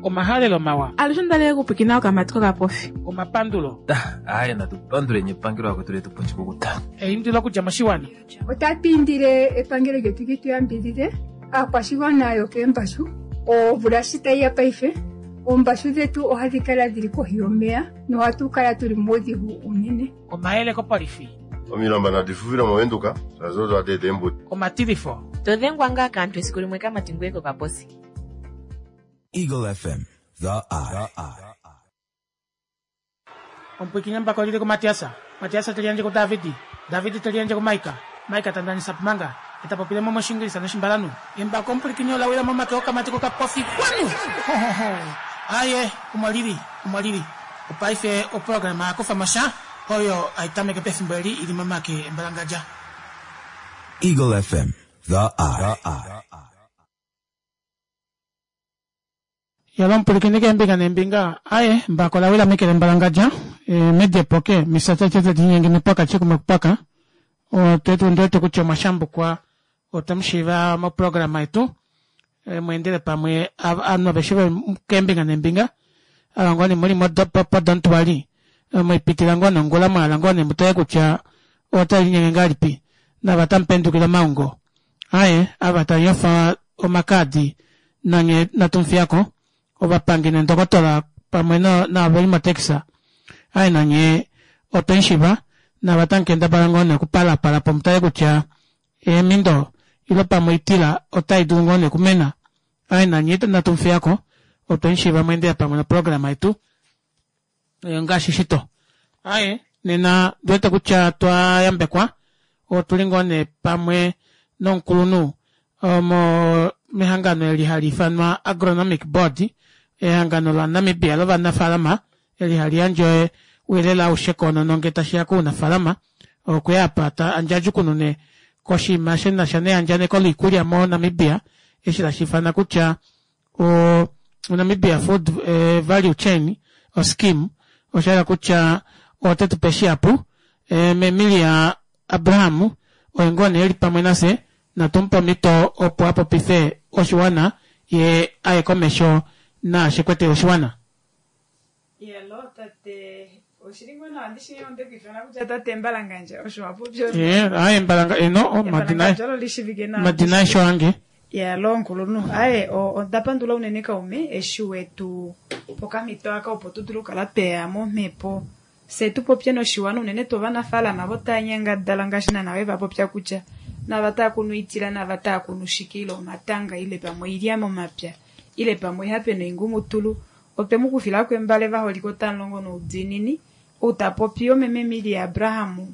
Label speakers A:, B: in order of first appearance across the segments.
A: Omahalelo mawa.
B: Alushe onda li okupwikina okamati kokapofi.
A: Omapandulo.
C: Aaye natu panduleni epangelo lakwetu letu pa oshikukuta.
A: Eindilo okudja moshiwana.
D: Otatu indile epangelo lyetu li tu yambidhidhe aakwashigwana yokeembashu. Omvula shi tayi ya paife, oombashu dhetu ohadhi kala dhili kohi yomeya nohatu kala tuli muudhigu uunene.
A: Omayele kopolifi.
E: Omilamba nadi fufile moVenduka shaashi odo hadi eta eembudi.
A: Omatilifo.
F: To dhengwa ngaa kaantu esiku limwe kamati ngweye kokaposi.
G: Eagle FM, the eye.
A: Omupwiikini embako lili kuMatias, Matias te liyandje kuDavid, David te liyandje kuMaika, Maika ta ndanisa Pumanga, e ta popile mo mOshiingilisa nOshimbalanhu. Embako omupwilikini ola wila momake okamati kokapofi kwanu! Hohoho! Aaye, omo lili, omo lili. Opaife oprograma ya kufa mo sha, oyo hai tameke pefimbo eli i li momake embalangadja.
G: Eagle FM, the eye.
A: Yalo omupwilikini keembinga neembinga, aye, embako ola wila meke lembalangadja, e, medepo ke, misatete tadi linyenge mepwaka kumwe kupwaka. Otetu ndiwete kutya omwa shambukwa otwe mu shiiva moprograma yetu e, mweendele pamwe ovanhu aveshe keembinga neembinga ava ngoo nee muli podontuali mwaipitila ngoo nongula mwahala ngoo nee mutale kutya otali linyenge ngahelipi nava tamu pendukile omaungo aye ava tanyofa omakaadi nanye natu mufiyako ovapangi nendokotola pamwe naavo veli motaxi aye nanye otwe mushiva nava tamu kendabala ngoo nee okupalapala po mutale kutya eemindo ile pamwe oitila otai dulu ngoo nee okumena aye nanye natu mufiyako otwe mushiva mweendela pamwe noprograma yetu ngaashi shito. Aye, nena ndiwete kutya twa yambekwa otuli ngoo nee pamwe nomukulunhu omo mehangano eli hali ifanwa Agronomic Board, ehangano laNamibia lovanafaalama eli hali yandje ouyelele aushe koonono ngee tashi ya kounafaalama. Okwe ya apa ta ndjadjukunune koshinima shi na sha neyandjaneko loikulya moNamibia eshi tashi ifana kutya o Namibia Food eh, Value Chain o scheme osha hala kutya ote tu pe shihapu eh, Memilia Abraham oye ngoo nee eli pamwe nafye natu mu pe omhito opo a popife oshiwana ye aye komesho naashi kwetele oshiwana.
H: Yelo tate oshili ngoo nawa ndishi onde ku ifana kutya tate Mbalangandja osho wa popya
A: Eh, aye Mbalanga eno oh, madina
H: Embalangandja olo lishivike nawa
A: madina aeshe oange.
H: Yalo nkulunhu aye onda pandula unene kaume eshi wetu pokamhito aka opo tu dule okukala tweya momhepo fye tu popye noshiwana unene tuu ovanafaalama ovo tava nyangadala ngaashi naana we va popya kutya nava tava kunu oitila nava tava kunu shike ile omatanga ile pamwe oilya momapya ile pamwe oihape noingumutulu otwe mu kufilako embale vaholike otamu longo noudiinini ou ta popi omeme Emilia Abraham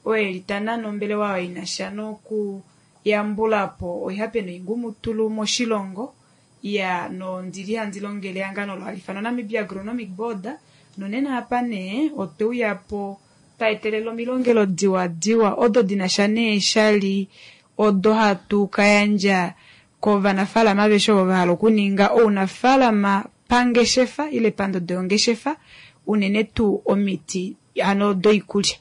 H: oo eli ta nane ombelewa oyo ina sha noku yambula po oihape noingumutulu moshilongo ya nondili handi longele ehangano olo hali ifanwa Namibia Agronomic Board nonena apa nee otwe uya po twa etelela omilongelo diwadiwa odo dina sha neeshali odo hatu ka yandja kovanafaalama aveshe ovo va hala okuninga ounafaalama pangeshefa ile pandodo yongeshefa unene tuu omiti hano doikulya.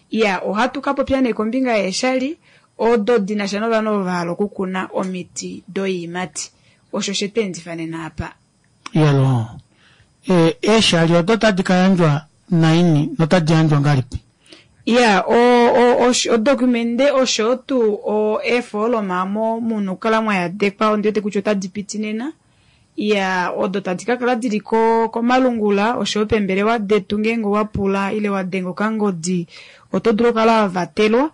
H: Iya ohatu ka popya nee kombinga yeeshali odo dina sha novanhu ovo va hala okukuna omiti doiimati. Osho she tu endifa nena apa.
A: Iyaloo. E, eeshali odo otadi ka yandjwa naini notadi yandjwa ngahelipi?
H: Iya, o, o, odokumende osho tuu o, eefooloma omo mu na okukala mwa yadekwa ondi wete kutya otadi piti nena. Iya, odo tadi ka kala dili ko, komalungula oshoyo peembelewa detu ngeenge owa pula ile wa denga okangodi oto dulu okukala wa vatelwa.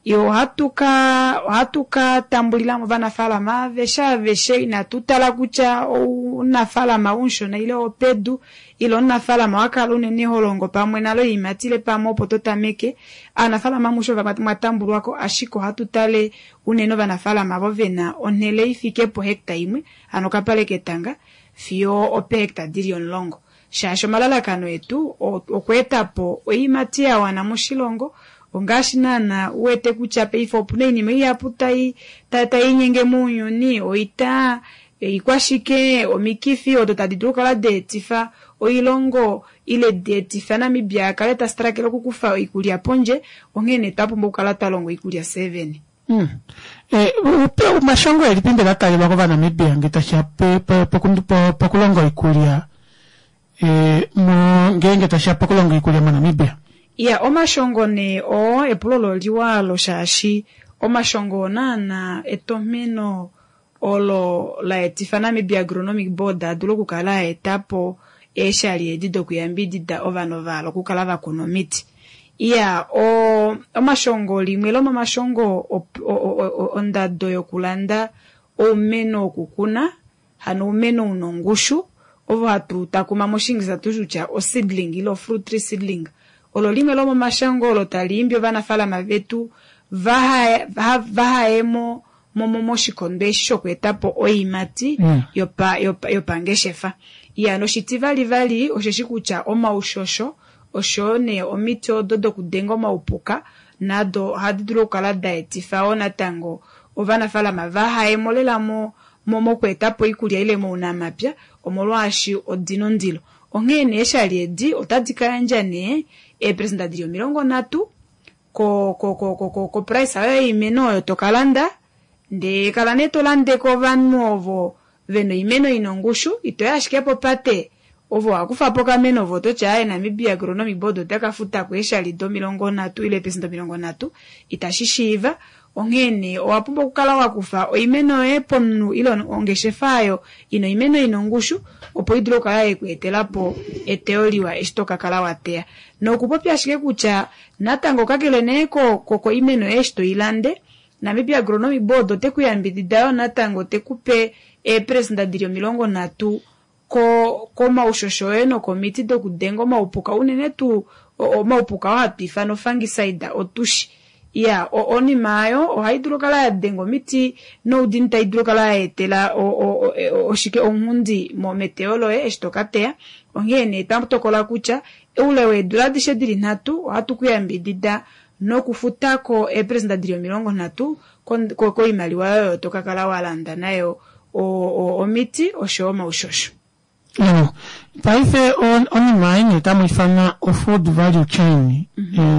H: Ohatu ka ohatu ka tambulila mo ovanafaalama aveshe aveshe inatu tala kutya ounafaalama umushona ile owopedu ile omunafaalama wa kala unene ho longo pamwe nale oiimati ile pamwe opo to tameke. Aanafaalama amushe ova mwa tambulwa ko ashike ohatu tale unene ovanafaalama ovo ve na onhele i fike pohecta imwe hano okapale ketanga fiyo opeehecta di li omulongo shaashi omalalakano etu okweeta po oiimati ya wana moshilongo ongaashi naana u wete kutya paife opuna oinima ihapu tai tai linyenge mounyuni oita oikwashike omikifi odo tadi dulu okukala daetifa oilongo ile daetifa Namibia a kale ta strakele okukufa oikulya pondje onghee nee twa pumbwa okukala twa longa oikulya fyee vene.
A: Omashongo elipi mbela taalelwa kOvanamibia ngee tashiya pokulonga oikulya ngeenge tashiya pokulonga oikulya moNamibia?
H: Iya, omashongo nee oo epulo olo liwa alo shaashi omashongo oo naana etomheno olo la etifa Namibia Agronomic Board a dule okukala a eta po eeshali edi dokuyambidida ovanhu va hala okukala va kuna omiti. Iya, omashongo limwe lomomashongo ondado yokulanda oumeno wokukuna, hano oumeno una ongushu, ovo hatu takuma moshiingilisa tu kutya oseedling ile ofruit tree seedling. Olo limwe lomomashongo olo tali imbi ovanafaalama vetu vahaye moshikondo eshi shokweeta po oiimati yopangeshefa. Iya, noshitivali vali osheshi kutya omaushosho oshoyo nee omiti odo dokudenga omaupuka nado ohadi dulu okukala da etifa wo natango ovanafaalama vahayemo lela mokweeta po oikulya ile mounamapya omolwaashi odina ondilo. Onghee nee eeshali edi otadi ka yandja nee eepresenda dili 30 ko price oyo yoimeno oyo tokalanda, ndee kala nee tolande kovanhu ovo vena oimeno ina ongushu, itoya ashike popate ovo wakufa po okameno ovo toti aaye Namibia Agronomic Board otaka futa ko eeshali do 30 ile eepresenda 30, itashi shiiva. Onghee nee owa pumbwa okukala wakufa oimeno yoye pomunhu ile ongeshefa oyo ina oimeno ina ongushu opo i dule okukala yekweetela po eteyo liwa eshi tokakala wateya. Nokupopya ashike kutya natango kakele nee koimeno yoye eshi toilande, Namibia Agronomic Board ote ku yambidida yo natango tekupe eepresenda dili 30 komaushosho oye nokomiti dokudenga omaupuka, unene tuu omaupuka oo hatu ifana ofungicide otushi. Iya, onima ayo ohai dulu okukala ya denga omiti noudini tai dulu okukala ya etela oshike ounghundi meteyo loye eshi tokateya. Onghee nee twa tokola kutya oule weedula adishe dili 3 ohatu ku yambidida nokufutako eepresenda dili 30 koimaliwa oyo tokakala walanda nayo omiti oshoyo omaushosho.
A: Paife onima ei otamu ifana o-food value chain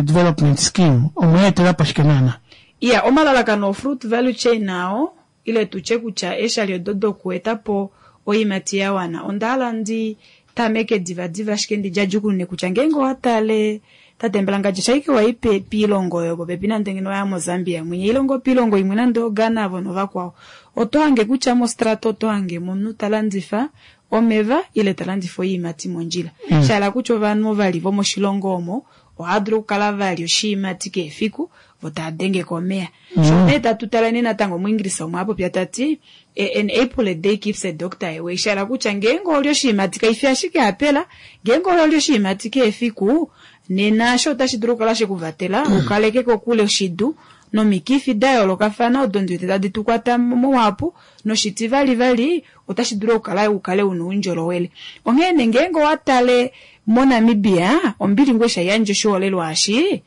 A: development scheme, omweetela po shike naana?
H: Iya, omalalakano o-fruit value chain ao ile tutye kutya eeshali odo dokueta po oiimati ya wana, onda hala ndi tameke divadiva ashike ndidjadjukunune kutya ngeenge owatale tate Mbalangadja shaike wai piilongo oyo popepi nande ngeno waya moZambia mwinya ilongo piilongo imwe nande oGhana avo novakwao, oto hange kutya mostrata oto hange omunhu talandifa omeva ile talandifa oiimati mondjila. Shahala kutya ovanhu ovali vomoshilongo omo ohava dulu okukala valya oshiimati kehe efiku vo tava dengeko omeya. Sho nee tatu tala nee natango muEnglisa omwe apopya tati an apple a day keeps a doctor away, shahala kutya ngeenge oli oshiimati kaifi ashike apela, ngeenge oli oshiimati kehe efiku nena osho otashi dulu okukala shekuvatela ukaleke kokule oshidu nomikifi da yoolokafana odo ndiwete tadi tukwata muhapu, noshitivalivali otashi dulu okukala ukale una oundjolowele. Onghee nee ngeenge owatale moNamibia ombili ngoo eshi haiyandje oshiholelwa eshi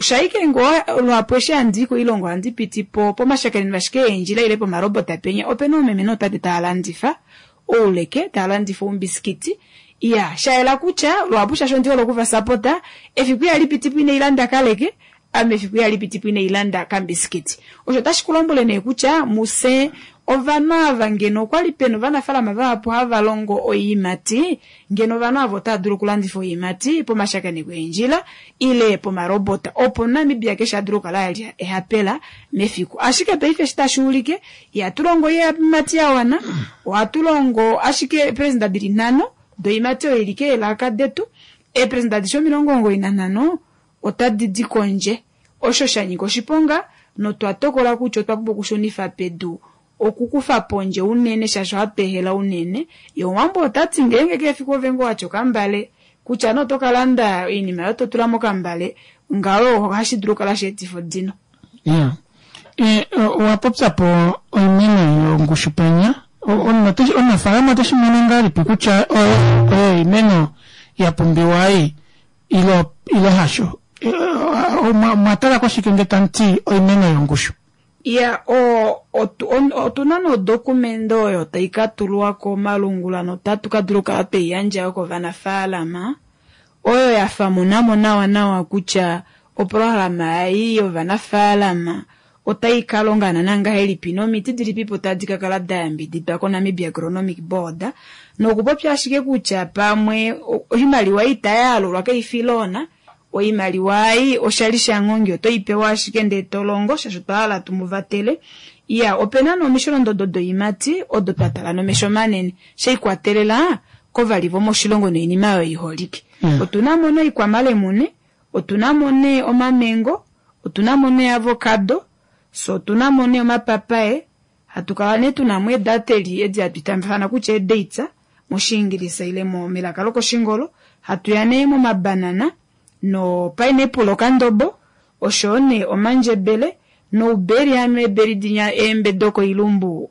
H: shaike ngoo luhapu eshi handii koilongo ohandi piti po pomashakeneno ashike eendjila ile pomarobota penya opena oomeme nootate tava landifa ouleke, tava landifa oumbisikiti. Iya, shayela kutya luhapu shaashi ondi hole okuvasapota, efiku ihali piti po ina ilanda kaleke, ame efiku ihali piti po ina ilanda kambisikiti. Osho otashi ku lombwele nee kutya muse ovanhu ava ngeno okwali pena ovanafaalama vahapu hava longo oiimati, ngeno ovanhu ava otava dulu okulandifa oiimati pomashakeneko eendjila ile pomarobota opo Namibia keshe a dule okukala alya ehapela mefiku. Ashike paife eshi tashi ulike ihatu longo oiimati ya wana, ohatu longo ashike eepresenda dili 5 doiimati oyo ili keelaka detu, eepresenda adishe 95 otadi di kondje. Osho sha nyika oshiponga notwa tokola kutya otwa pumbwa okushunifa pedu okukufa pondje unene shaashi ohatu ehela unene. Ye Omuwambo otati ngeenge kehe efiku ove ngoo watya okambale kutya nee oto kalanda oinima oyo totula mokambale ngaho ohashi dulu okukala sheetifa odino.
A: Iya, owa popya po oimeno yongushu penya. Omunafaalama oteshi mono ngahelipi kutya oyo oimeno ya pumbiwa ei ile hasho? Omwa tala koshike nge tamu ti oimeno yongushu?
H: Iya, otuna nodokumende oyo tai ka tulwa komalungula notatu ka dula okukala tweiyandja yo kovanafaalama oyo ya famunamo nawa nawa kutya oprograma ei yovanafaalama otai ka longa naana ngahelipi nomiti dilipipo tadi ka kala da yambididwa koNamibia Agronomic Board, nokupopya ashike kutya pamwe oimaliwa itayaalulwa kaifi loona, oimaliwa ei oshali shanghongi oto ipewa ashike ndee tolongo shaashi otwa hala tumuvatele. Iya, opena nee omisholondodo doimati odo twa tala nomesho manene sheikwatelela kovali vomoshilongo noinima oyo iholike. Otuna mo nee oikwamalemune, otuna mo nee omamengo, otuna mo nee avocado, so otuna mo nee omapapaye, hatu kala nee tuna mo eedateli edi hatu itafana kutya eedates moshiingilisa ile melaka lokoshingolo, hatu ya nee momabanana no pineapple okandobo, oshoyo nee omandjebele nouberi hano eeberi dinya eembe dokoilumbu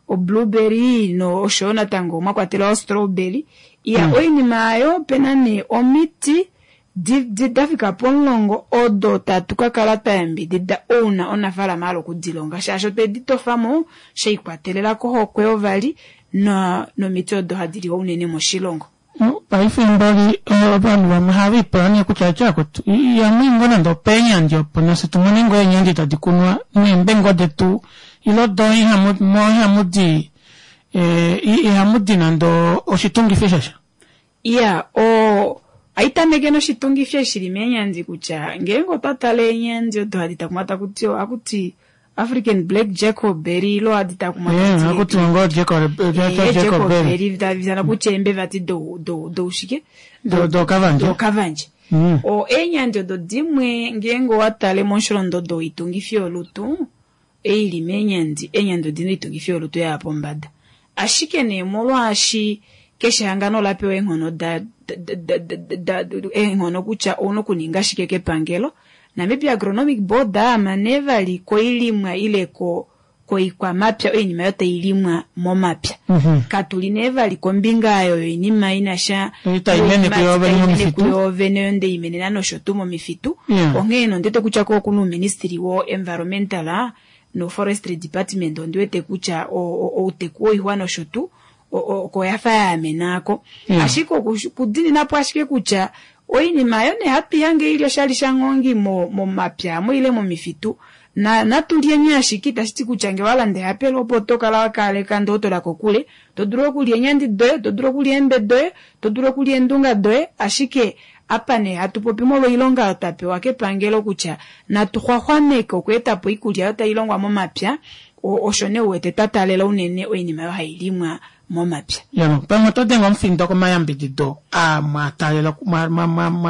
H: o blueberry no oshoyo natango mwa kwatelwa o strawberry. Iya, oinima ayo opena nee omiti dafika pomulongo odo tatu ka kala twa yambidida ouna onafaalama hala okudilonga shaashi otwe di tofamo sheikwatelela kohokwe yovali nomiti odo hadi liwa unene moshilongo.
A: Paife mboli ovanhu vamwe ohava ipula nee kutya etya kutu yamwe ngoo nande opeenyandi opo nafye tumone ngoo eenyandi tadi kunwa neembe ngoo detu ilo do ihamudi ihamudi nande oshitungifi shasha.
H: Iya, aitameke noshitungifi eshi shili meenyandi kutya ngeenge otwa tala eenyandi odo hadi takumwa takuti akuti African Black Jacobberry ilo hadi takumwa
A: akuti ngoo Jacobberry
H: tavizana kutya eembe vati doushike
A: dokavandje
H: dokavandje. Eenyandi odo dimwe ngeenge owa tale mosholondodo woitungifi yolutu eili meenyandi, eenyandi odina oitungifi yolutu ya pombada. Ashike nee molwaashi keshe ehangano ola pewa eenghono eenghono kutya ouna okuninga shike kepangelo, Namibia Agronomic Board ama nee vali koilimwa ile koikwamapya oinima oyo tailimwa momapya. Katuli nee vali kombinga oyo yoinima inasha
A: tai mene
H: kuyoovene oyo ndeimenena nosho tuu momifitu. Onghee nondete kutya ko okuna uuministry wo environmental no forestry department ondiwete kutya outeku woixwa nosho tuu oko yafa yaamenako. Ashike okudininapo ashike kutya oinima ayo nee hatu ihange ili oshali shanghongi momapya amo ile momifitu natulyeni ashike itashi ti kutya ngee walanda ehapelo opo oto kala wakaleka ndee otola kokule, to dulu okulya eenyandi doye, to dulu okulya eembe doye, to dulu okulya eendunga doye, ashike apa nee hatu popi molwa oilonga oyo twa pewa kepangelo kutya natu xwaxwameke okweetapo oikulya oyo tailongwa momapya, osho nee uwete twa taalela unene oinima oyo hailimwa momapya.
A: Yalo, pamwe oto denge omufindo komayambidido aa mwataalela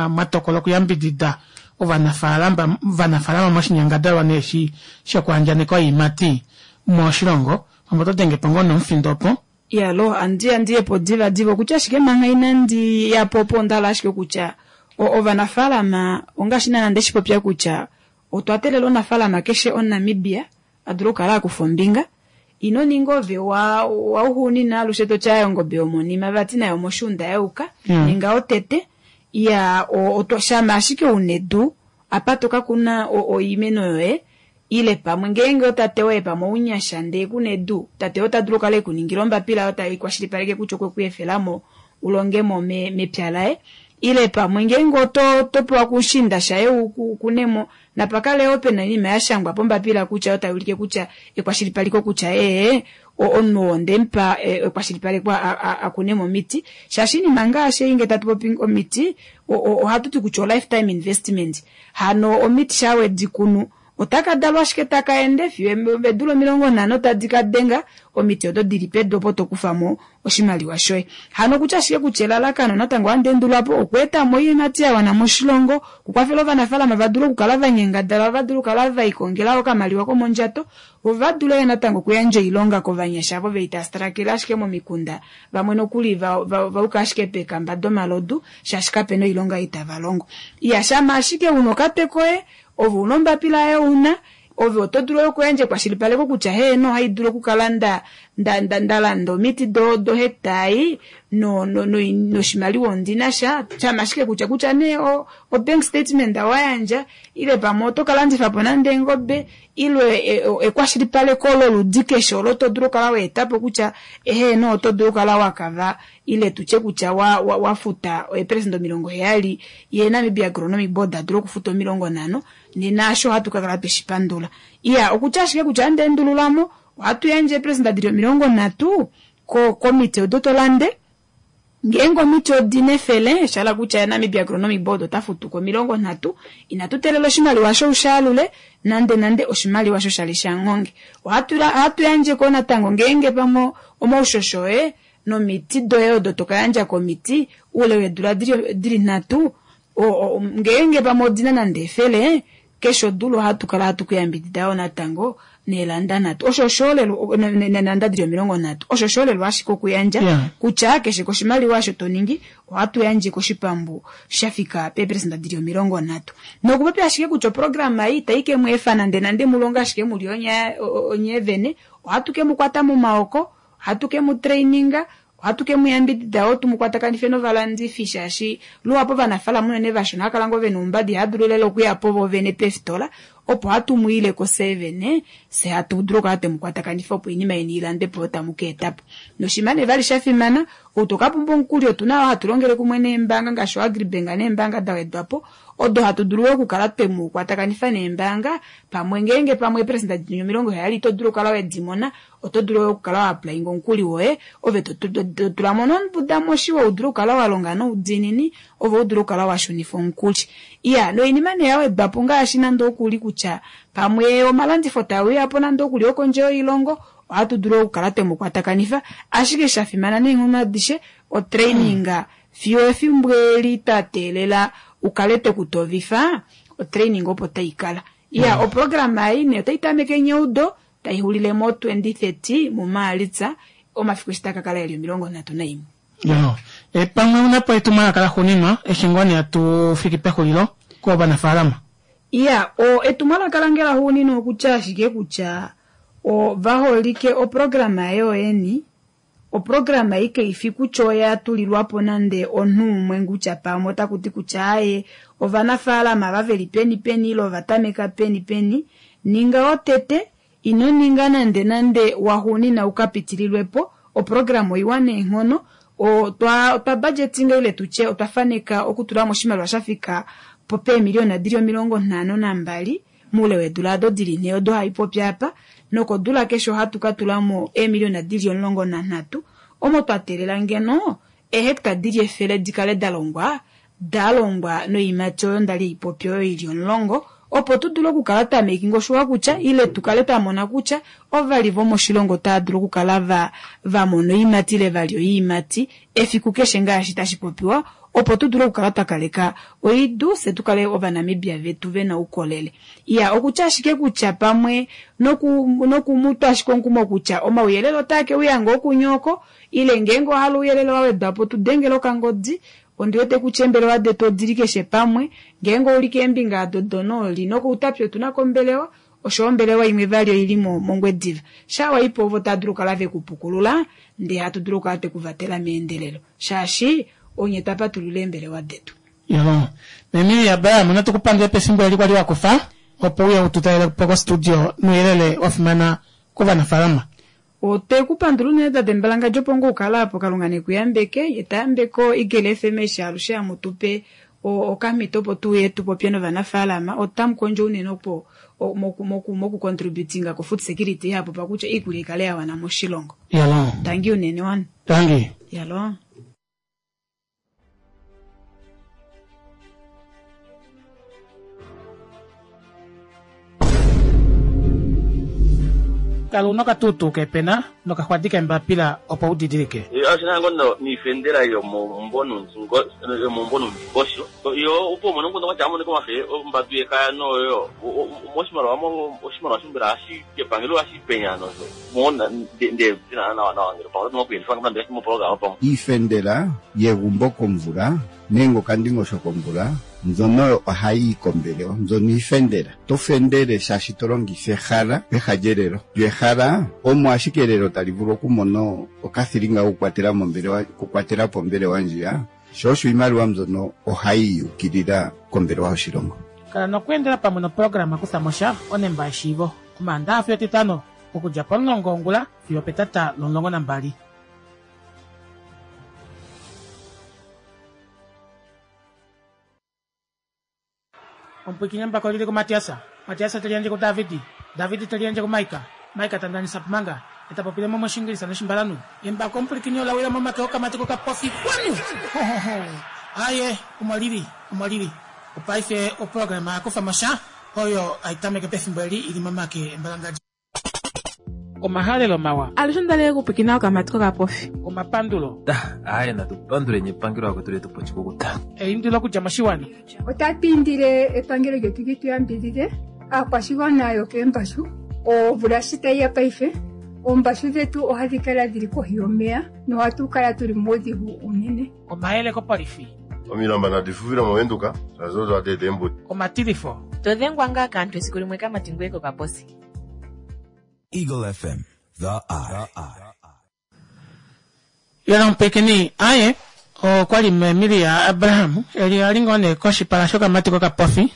A: mwatokola okuyambidida ovanafaalama moshinyangadalwa nee shi shokuandjaneka oiimati moshilongo, pamwe oto denge po ngoo nomufindo opo.
H: Yalo, andiyepo diva diva okutya ashike manga inandi yapo opo ondala ashike kutya ovanafaalama ongaashi naana ndeshipopya kutya otwa teelela omunafaalama keshe omuNamibia a dule okukala akufa ombinga. Ino ninga ove wauxuunina alushe toti ongobe yomonima vati nayo moshuunda yayuka ninga otete. Iya, shama ashike una edu apa toka kuna oimeno yoye ile pamwe ngeenge otate woye pamwe ounyasha ndee kuna edu, tate ota dulu okukala ekuningila ombapila oyo tai kwashilipaleke kutya okwe ku efelamo ulongemo mepya laye, ile pamwe ngeenge oto pewa kushinda shaye ukunemo napakale yoo pena oinima yashangwa pombapila kutya oyo tai ulike kutya ekwashilipaleko kutya omunhu oo ndemupa ekwashilipalekwa akunemo omiti, shaashi oinima ngaashi ei ngee tatu popi omiti ohatu ti kutya o lifetime investment, hano omiti shaa wedi kunu otaka dalwa ashike taka ende fiyo eedula 50 tadi ka denga omiti odo dili pedu opo tokufamo oshimaliwa shoye. Hano kutya ashike kutya elalakano natango ohandi endulwapo okweetamo oiimati ya wana moshilongo, okukwafela ovanafaalama va dule okukala va nyangadala, va dule okukala vaikongela okamaliwa komondjato, vo va dule natango okuyandja oilonga kovanyasha avo veli tava strakele ashike momikunda, vamwe nokuli vauka ashike peekamba domalodu shaashi kapena oilonga itava longo. Iya, shama ashike una okatwe koye, ove una ombapila yoye una, ove oto dulu okuyandja ekwashilipaleko kutya heeno ohai dulu okukala nda landa omiti do hectare noshimaliwa ondina sha, shama ashike kutya nee o bank statement wayandja ile pamwe oto kalandifa po nande eengobe ile ekwashilipaleko loludi keshe olo to dulu okukala waetapo kutya heeno oto dulu okukala wakava ile tutye kutya wafuta eeperesenda 70 ye Namibia Agronomic Board adule okufuta 50. Nena asho ohatu ka kala tweshi pandula. Iya, okutya ashike kutya nde endululamo, ohatu yandje eepresenda dili 30 ko komiti odo to lande. Ngeenge omiti odi na 100, sha hala kutya Namibia Agronomic Board ota futu ko 30, inatu teelela oshimaliwa osho u shaalule, nande nande oshimaliwa osho sha li shanghonge. Ohatu ohatu yandje ko natango ngeenge pamwe omaushosho oye nomiti doye odo to ka yandja komiti oule weedula dili 3, ngeenge pamwe odi na nande 100, keshe odula ohatu kala hatu ku yambidida yoo natango neelanda 3. Osho oshoolelwa, neelanda dili 30. Osho oshoolelwa ashike okuyandja kutya keshe koshimaliwa osho to ningi ohatu yandje koshipambu sha fika peeperesenda dili 30. Nokupopya ashike kutya oprograma ei itai ke mu efa nande nande mu longe ashike mu li onye vene, ohatu ke mu kwata momaoko, ohatu ke mu traininga, Ohatu ke mu yambidida yoo tu mu kwatakanife novalandifi shaashi luhapu ovanafaalama unene vashona ohava kala ngoo ve na oumbada ihava dulu lela okuya po voovene peefitola opo hatu mu ile ko fyee vene fye hatu dulu okukala twe mu kwatakanifa opo oinima yeni i landwe po yo tamu ka eta po. Noshinima nee vali sha fimana, ou to ka pumbwa omukuli otu na yoo hatu longele kumwe neembaanga ngaashi oAgribank neembaanga da wedwa po odo hatu dulu yoo okukala twe mu kwatakanifa neembaanga pamwe ngeenge pamwe eeperesenda dini 70 ito dulu okukala we di mona Oto dulu yo okukala wa applyinga omukuli woye, ove to tula mo nombuda moshiwa u dule okukala wa longa noudiinini, ove u dule okukala wa shunifa omukuli. Iya, noinima nee ya wedwa po ngaashi nande okuli kutya pamwe omalandifo tae uya po nande okuli okondje yoilongo, ohatu dulu okukala twe mu kwatakanifa. Ashike sha fimana neenghono adishe, otraining fiyo efimbo eli twa teelela u kale twe ku tovifa, otraining opo tai kala. Iya, oprograma ei nee otai tameke nyeudo, tai xulile mo 2030 muMaalitsa, omafiku eshi taa ka kala e li 31.
A: Yo, e, pamwe una po etumwalaka laxuuninwa eshi ngoo nee hatu fiki pexulilo kovanafaalama.
H: Iya, o, etumwalaka lange laxuuninwa okutya ashike kutya o, vaholike oprograma yoyeni, Oprograma ei kai fi kutya oya tulilwa po nande omunhu umwe kutya pamwe otaku ti kutya aaye ovanafaalama ava ve li peni peni ile ova tameka peni peni. Ninga wotete, ino ninga nande nande waxuunina u ka pitililwe po. Oprograma oiwa neenghono. Otwa otwa budgetinga ile tu tye otwa faneka okutula mo oshimaliwa sha fika po peemiliyona di li 52 Moule weedula odo di li nhee odo hai popi apa, nokodula keshe ohatu ka tula mo eemiliona di li 13, omo twa teelela ngeno eehecta di li 100 di kale da longwa, da longwa noiimati oyo nda li ei popi oyo i li 10, opo tu dule okukala twa making sure kutya, ile tu kale twa mona kutya ovali vomoshilongo otava dulu okukala va va mona oiimati ile va lya oiimati efiku keshe ngaashi tashi popiwa opo tu dule okukala twa kaleka oidu fye tu kale Ovanamibia vetu ve na oukolele. Iya, okutya ashike kutya pamwe noku, noku mu twa ashike omukumo kutya omauyelele otaa ke uya ngoo kunye oko, ile ngeenge owa hala ouyelele wa wedwa po tu dengela okangodi. Ondi wete kutya eembelewa detu odi li keshe pamwe. Ngeenge ou li keembinga ado donooli nokOutapi otu na ko ombelewa, osho ombelewa imwe vali oi li mOngwediva. Shaa wa i po ovo tava dulu okukala ve ku pukulula ndee hatu dulu okukala twe ku vatela meendelelo. Shaashi onye twa patulula eembelewa detu.
A: Yo, Emilia Abraham, natu ku pandule pefimbo eli kwali wa kufa opo uye u tu talele po kostudio nouyelele wa fimana kovanafaalama.
H: Otwe ku pandula unene tate Mbalangadjo opo ngoo u kala apo, Kalunga ne ku yambeke, ye ta yambeke o Eagle FM eshi alushe hamu tu pe okamhito opo tu uye tu popye novanafaalama. Otamu kondjo unene opo moku moku moku contributinga ko food security ihapu pakutya iikulya ikale ya wana moshilongo.
A: Yalo.
H: Tangi unene wana.
A: Tangi.
H: Yalo.
A: Kala una okatuutuu keepena nokaxwadi keembapila opo u didilike.
I: Osho ngo niifendela yomomumvo nuundingosho yo opo umone omukundu gwatya amonike omafe ombatu yekaya noyo moshimaliwa oshimaliwa shombela hashi kepangelo hashi penya nosho
J: Iifendela yegumbo komvula nenge okandingosho komvula mbyono oyo ohayi yi kombelewa. Mbyono iifendela. Oto fendele shaashi to longitha ehala peha lyelelo. Lyo ehala omo ashike elelo tali vulu okumona okathilinga kokukwatela mombelewa, okukwatela po ombelewa ndjiya. Sho osho iimaliwa mbyono ohayi ukilila kombelewa yoshilongo.
A: Kala nokweendela pamwe noprograma Kutha mo sha, onemba yeshiivo, Omaandaxa fiyo Etitano, okudja pomulongo wongula fiyo opetata lomulongo nambali. Omupwiikini embako lili kuMatiasa, Matiasa te liyandje kuDavidi, Davidi te liyandje kuMaika, Maika ta ndanisa Pumanga, e ta popile mo mOshingilisa nOshimbalanhu. Embako omupwilikini ola wila momake okamati kokapofi kwanu! Ho-ho-ho! Aaye, omo lili, omo lili. Opaife oprograma ya kufa mo sha, oyo hai tameke pefimbo eli i li momake embalangadja. Omahalelo mawa.
B: Alushe onda li okupwikina okamati kokapofi.
A: Omapandulo.
C: Aaye natu panduleni epangelo lakwetu letu po oshikukuta.
A: Eindilo okudja moshiwana.
D: Otatu indile epangelo lyetu li tu yambidhidhe aakwashigwana yokeembashu. Omvula shi tayi ya paife, oombashu dhetu ohadhi kala dhili kohi yomeya nohatu kala tuli muudhigu uunene.
A: Omayele kopolifi.
E: Omilamba nadi fufile mOvenduka, shaashi odo hadi eta eembuto.
A: Omatilifo.
F: To dhengwa ngaa kaantu esiku limwe kamati ngweye kokaposi.
G: Eagle FM, the eye.
A: Yona omupwikini aye okwali meemilia Abraham eli ali ngoo nee koshipala shokamati kokapofi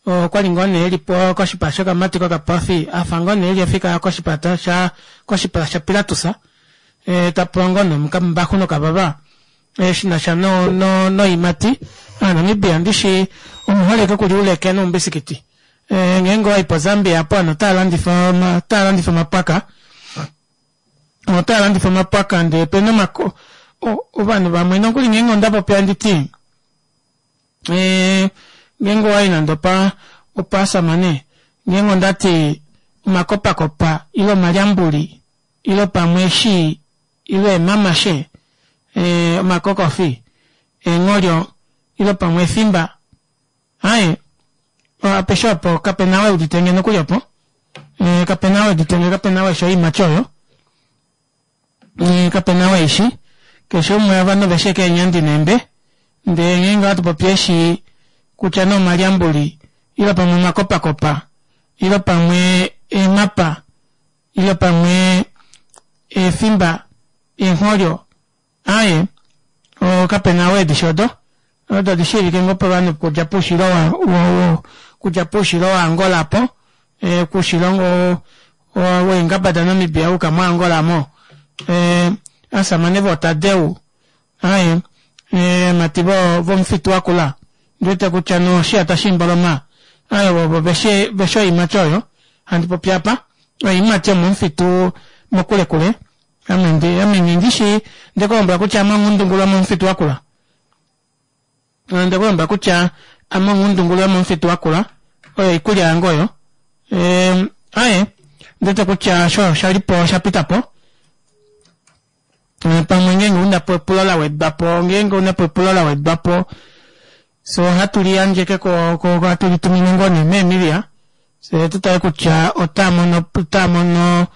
A: okwali ngoo nee eli po koshipala shokamati kokapofi afa ngoo nee eli ofika koshipala sha koshipala shaPilatus e, ta pula ngoo nee omukambaxu nokavava e, shi na sha no, no, noimati Aanamibia ndishi omuholike okulya uuleke noumbisikiti e, ngeenge owayi poZambia apo ovanhu otava landifa otava landifa omapwaka otava landifa omapwaka ndee pena omako ovanhu vamwe nokuli ngeenge onda popi handi ti e, ngeenge owayi nande opa opaasamane ngeenge ondati omakopakopa ile omalyambuli ile pamwe eshi ile eemamashe e, omakokofi eengholyo ile pamwe efimba Aye, apeshe opo kape na we udite nge nokuli opo. Eh, kape na we udite nge, kape na we shoiimati oyo. Eh, kape na we ishi. Keshe umwe ovanhu veshe keenyandi neembe. Ndee ngeenge ohatu popi eshi kutya nee omalyambuli ile pamwe omakopakopa ile pamwe eemapa ile pamwe eefimba eengholyo Aaye, kape na we edishi odo. Odo odi shiivike ngoo povanhu okudja poushilo wa, wa, okudja poushilo waAngola apo, e, koushilo ngoo weengaba daNamibia wa yuka moAngola mo. E, asamane vootadeu, aaye, eemati vo, vomufitu wakula, ndi wete kutya noshiya tashi mboloma, aaye, ovo veshi, veshi oiimati oyo handi popi apa, oiimati yomomufitu mokulekule. Ame ndi, ame nghi ndi shii, nde ku lombwela kutya ame onghundungulu yomomufitu wakula. Nde ku lombwela kutya ame onghundungulu yomomufitu wakula, oyo oikulya yange oyo. Ehm, aye, ndete kutya osho osha li po osha pita po. Eh, pamwe ngeenge una po epulo la wedwa po, ngeenge una po epulo la wedwa po, so ohatu li yandjeke ko, ko, hatu li tumine ngoo nee meemilia. Fye tu tale kutya otaa mono otaa mono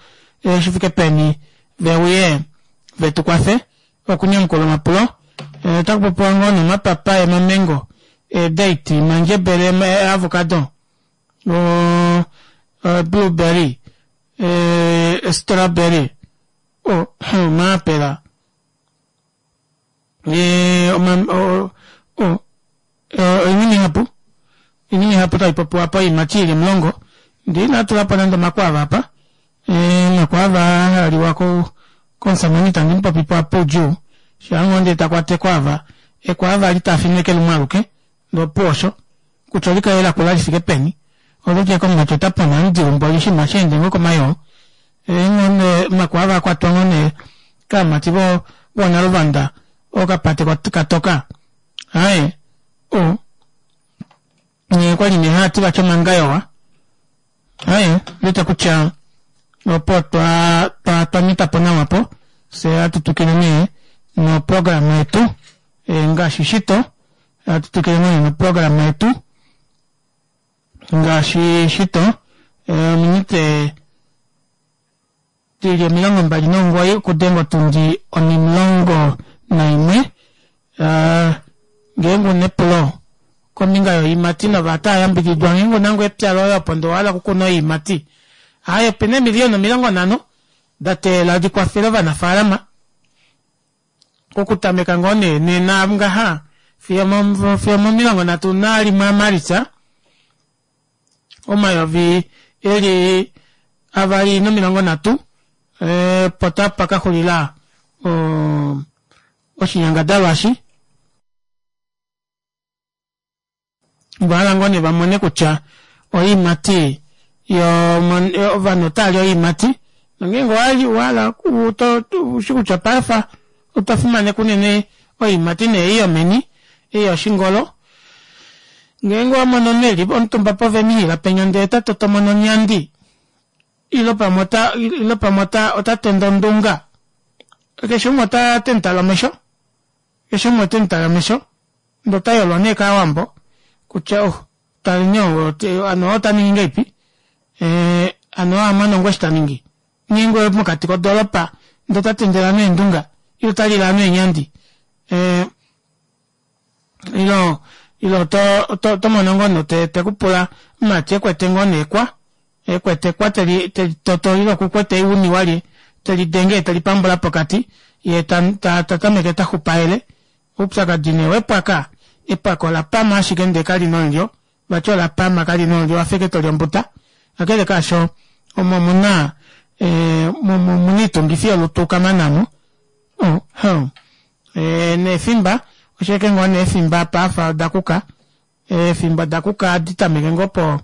A: eh, shi fike peni ve uye ve tu kwafe okunyamukula omapulo. Eh, otaku popiwa ngoo nomapapaye, omamengo, eedate, omandjebele, eavocado, o, o blueberry, eh, strawberry, o, omaapela, eh, oma, o, o, oinima ihapu oinima ihapu tai popiwa apa oiimati ili omulongo ndee inaa tula po nande omakwaava apa omakwaava haa liwa komusamane itandi mu popi po apa oudjuu shaa ngoo ndee ta kwata ekwaava ekwaava li tafine eke lumwe aluke ndee opuwo osho kutya olikale lakula lifike peni oloti eke omumati ota pona omudilumbo mboli oshinima sheende ngoo komayoo ngoo omakwaava akwatwa ngoo nee kaamati voonaluvanda okapate katoka Aye, o, nye kwa li nee hati vati omangayowa. Aye, ndete kutya opo twa twa twa nyita po nawa po, fye hatu twikile nee noprograma yetu e, ngaashi shito, hatu twikile nee noprograma yetu ngaashi shito, e, ominute Dili 29 okudenga otundi onimulongo naimwe. Ngeenge una epulo kombinga yoiimati nova tava yambididwa ngeenge una ngoo epya loye opo ndee owahala okukuna oiimati, aaye opena eemiliyona 50 da teelela di kwafele ovanafaalama okutameka ngoo nee nena ngaha fiyo omo 31 aMalitsa. omayovi eli 2030 opo tapa ka xulila oshinyangadalwa eshi. Ovahala ngoo nee vamone kutya oiimati ovanhu otaali oiimati nongeenge owali wahala ushi kutya paife otwa fimaneka unene oiimati nee ei yomeni ei yoshingolo ngeenge owamono omunhu eli omutumba povemihila penya ndee ota totomona onyandi ile pamwe ota ile pamwe ota ota tende ondunga keshe umwe ota temutale omesho keshe umwe otemutale omesho ndee ota yolwa nee kaawambo kutya oh taleni ou ano ota ningi ngahelipi hano amona ngoo eshi taningi ngeenge mokati kodoropa ndee ota tendele ovanhu eendunga ile ota lile ovanhu eenyandi ile ile oto oto mono ngoo omunhu tekupula omumati ekwete ngoo nee ekwa ekwete ekwa teli toto ile okukwete euni walye telidenge yee telipambula pokati yee tatameke taxupaele Oupyakadi nee wepwaka, epwaka ola pama ashike ndee kali na omulyo, vati ola pama kali na omulyo wafa ashike toli ombuta. Kakele kaasho omo omuna omuna oitungifi yolutu kamana mo. Oh, huh. Neefimba, osho ashike ngoo nee eefimba apa afa oda kuka, eefimba oda kuka ohadi tameke ngoo po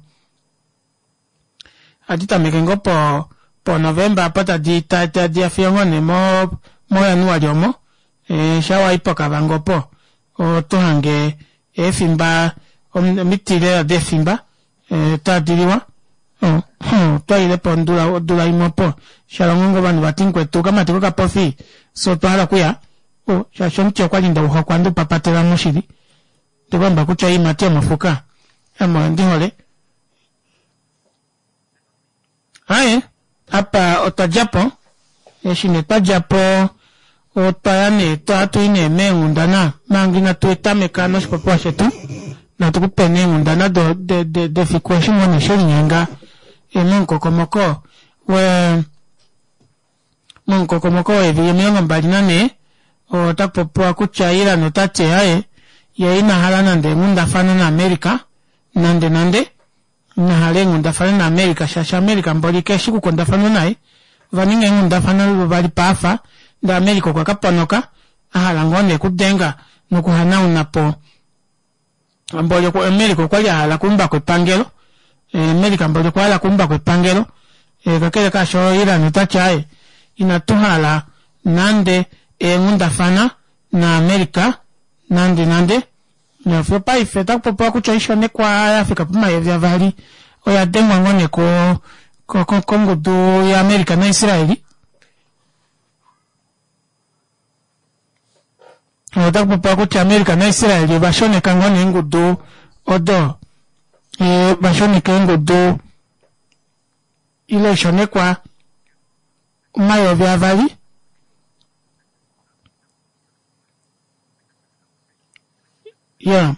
A: ohadi tameke ngoo po po November apo tadi tadi ya fiyo ngoo nee mo mo January omo e, sha wayi poKavango opo oto hange eefimba omiti lela deefimba e, tadi liwa oh, twaile po odula odula imwe opo shalongo ngoo ovanhu vati mukwetu okamati kokapofi fye otwa hala okuya oh, shaashi omuti okwali ndeuhokwa ndeupapatela moshili Ndikuamba kutya oiimati yomofuka ame oyo ndi hole. Aye, apa otwa dja po. Eshi nee twa dja po otwa ya nee ohatu i nee meenghundana manga inatu tameka noshipopiwa shetu natu ku pe nee eenghundana defiku eshi ngoo nee shelinyenga momukokomoko we Momukokomoko weevili 24, ota popiwa kutya Iran ota ti aaye, yee ina hala nande eenghundafana naAmerica nande nande. Ina hala eenghundafana naAmerica shaashi America mboli keshi kukundafanwa naye. Ova ninga eenghundafana luvali paafa ndee America okwa ka ponoka a hala ngoo nee okudenga nokuhanauna po mboli America okwali a hala okuumbako epangelo America mboli okwa hala okuumbako epangelo kakele kaasho Iran ota ti aaye inatu hala nande eenghundafana naAmerica nande nande nofiyo paife otaku popiwa kutya oishonekwa ya fika pomayovi avali oya dengwa ngoo nee kongudu yaAmerica naIsraeli. Otaku popiwa kutya America naIsrael ova shoneka ngoo nee eengudu odo va shoneka eengudu ile oishonekwa 2000 ya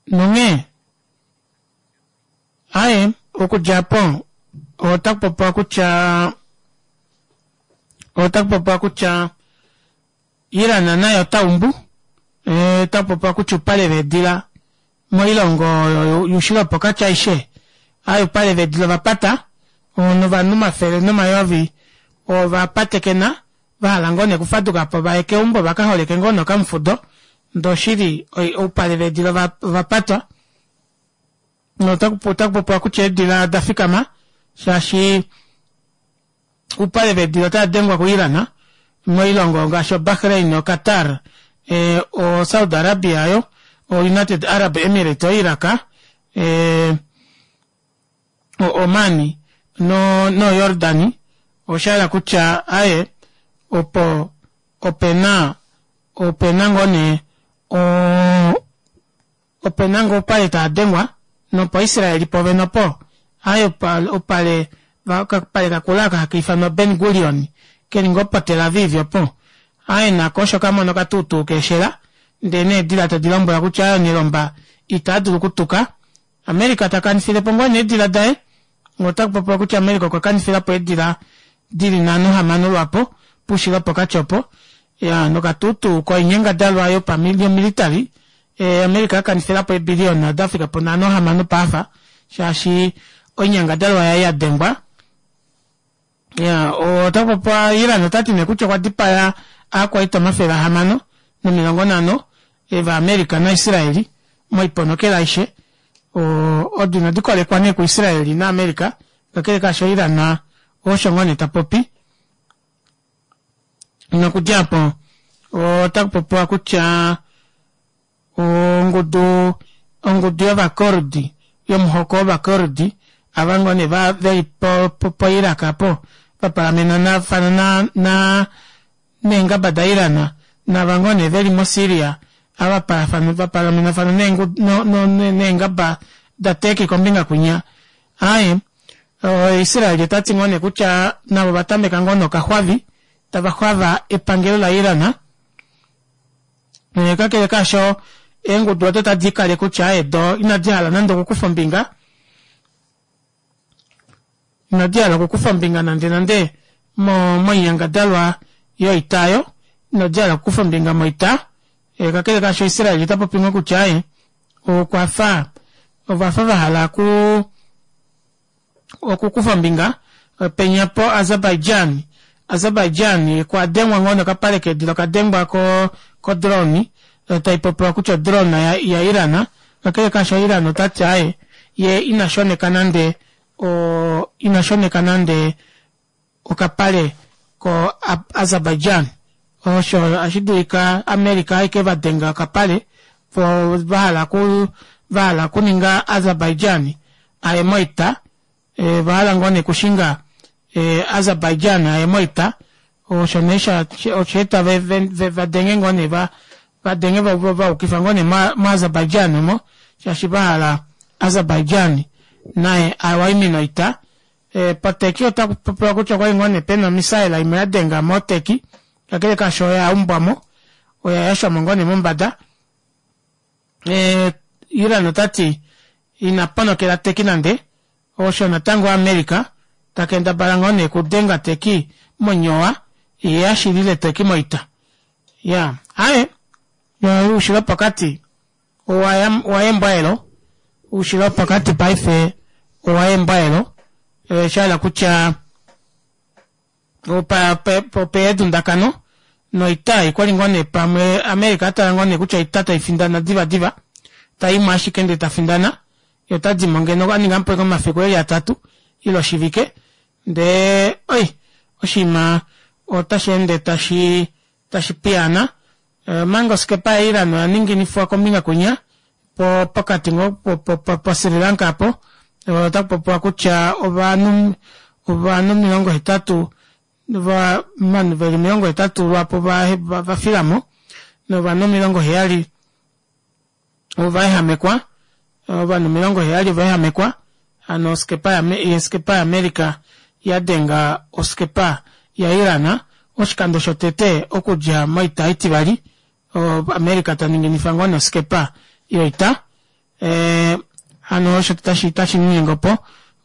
A: nonghee Aye, okudja opo otaku popiwa kutya otaku popiwa kutya Iran naye ota umbu otaku popiwa kutya oupale veedila moilongo oyo yuushilo wopokati aishe aye oupale veedila ova pata novanhu omafele nomayovi ova patekena va hala ngoo nee okufaduka po vaye keumbo va ka holeke ngoo nee okamufudo ndee oshili oupale veedila ova patwa. Otaku popiwa kutya eedila oda fikama shaashi oupale veedila otava dengwa kuIran moilongo ngaashi oBahrain, oQatar, oSaudi Arabia yo, oUnited Arab Emirates, oIraq, oOman noJordan. Osha yela kutya aye opo opena opena ngoo nee Ope na ngoo oupale taa dengwa, nopoIsraeli povene opo, aye oupale, okapale kakula aka haka ifanwa Ben Gurion, ke li ngoo poTel Aviv opo. Aye nako osho ka mona okatuutuu keeshela, ndee needila tadi lombwelwa kutya aye onelomba itaa dulu okutuka. America ta kanifile po ngoo nee eedila daye. Otaku popiwa kutya America okwa kanifila po eedila di li 56 lwaapo poushilo wopokati opo. Ya, nokatuutuu koinyangadalwa yopamilitali America a kanifila po eebiliyona da fika po 56 paafa shaashi oinyangadalwa yaye ya dengwa. Ya, ota popiwa Iran ota ti nee kutya okwa dipaya aakwaita 650 vaAmerica naIsraeli. Moiponokela aishe odo inadi kolekwa nee kuIsrael naAmerica, kakele kaasho Iran osho ngoo nee ta popi. Nokudja apo otaku popiwa kutya ongudu ongudu yovakurdi yomuhoko wovakurdi ava ngoo nee veli poIraq apo vapalamenafana na, na neengaba daIran nava ngoo nee veli moSyria ava vapalamenafana neengaba daTurkey kombinga kwinya. Aaye Israel otati ngoo nee kutya navo ovatameka ngoo nokaxwavi tava xwava epangelo laIran. Kakele kaasho eengudu odo tadi ikale kutya aaye do inadi hala nande okukufa ombinga inadi hala okukufa ombinga nande nande moinyangadalwa yoita oyo inadi hala okukufa ombinga moita. Kakele kaasho Israel ota popi ngoo kutya aaye okwafa ovafa vahala okukufa ombinga penya po Azerbaijan. Azerbaijan kwa dengwa ngoo nokapale keedila okadengwa ko drone taipopiwa kutya odrone ya Iran. Kakele kaasho Iran otati aaye ye ina shoneka nande ina shoneka nande okapale ko Azerbaijan. Osho ashi dulika America aike vadenga okapale vo vahala vahala okuninga Azerbaijan aye moita. Vahala ngoo nee okushinga Azerbaijan aye moita. Osho nee osha eta vadenge ngoo nee vadenge vayukifa ngoo nee moAzerbaijan omo shaashi vahala Azerbaijan naye awaimine oita. PoTurkey otaku popiwa kutya okwali ngoo nee pena omisaela imwe yadenga moTurkey, kakele kaasho oya umbwamo oya yashwamo ngoo nee mombada. Iran otati ina ponokela Turkey nande, osho natango America takendabala ngoo nee okudenga Turkey monyowa yee ashilile Turkey moita. Ya aaye oushilo wopokati owa embwaelo, oushilo wopokati paife owa embwaelo, shahala kutya opeedundakano noita okwali ngoo nee pamwe America atala ngoo nee kutya oita taifindana diva diva taimo ashike ndee tafindana ye otadimo ngeno aninga mupe omafiku eli atatu ile oshivike ndee oi oshinima otashi ende tashi tashi piyaana. Omanga oskepa yaIran oya ninginifwa kombinga kwinya pokati ngoo poSri Lanka apo otaku popiwa kutya ovanhu ovanhu 80 ovanhu veli 80 lwaapo vafilamo novanhu 70 ovaehamekwa ovanhu 70 ovaehamekwa hano oskepa oskepa yaAmerica yadenga oskepa yaIran oshikando shotete okudja moita itivali America taninginifa ngoo noskepa yoita hano osho tashi ningingopo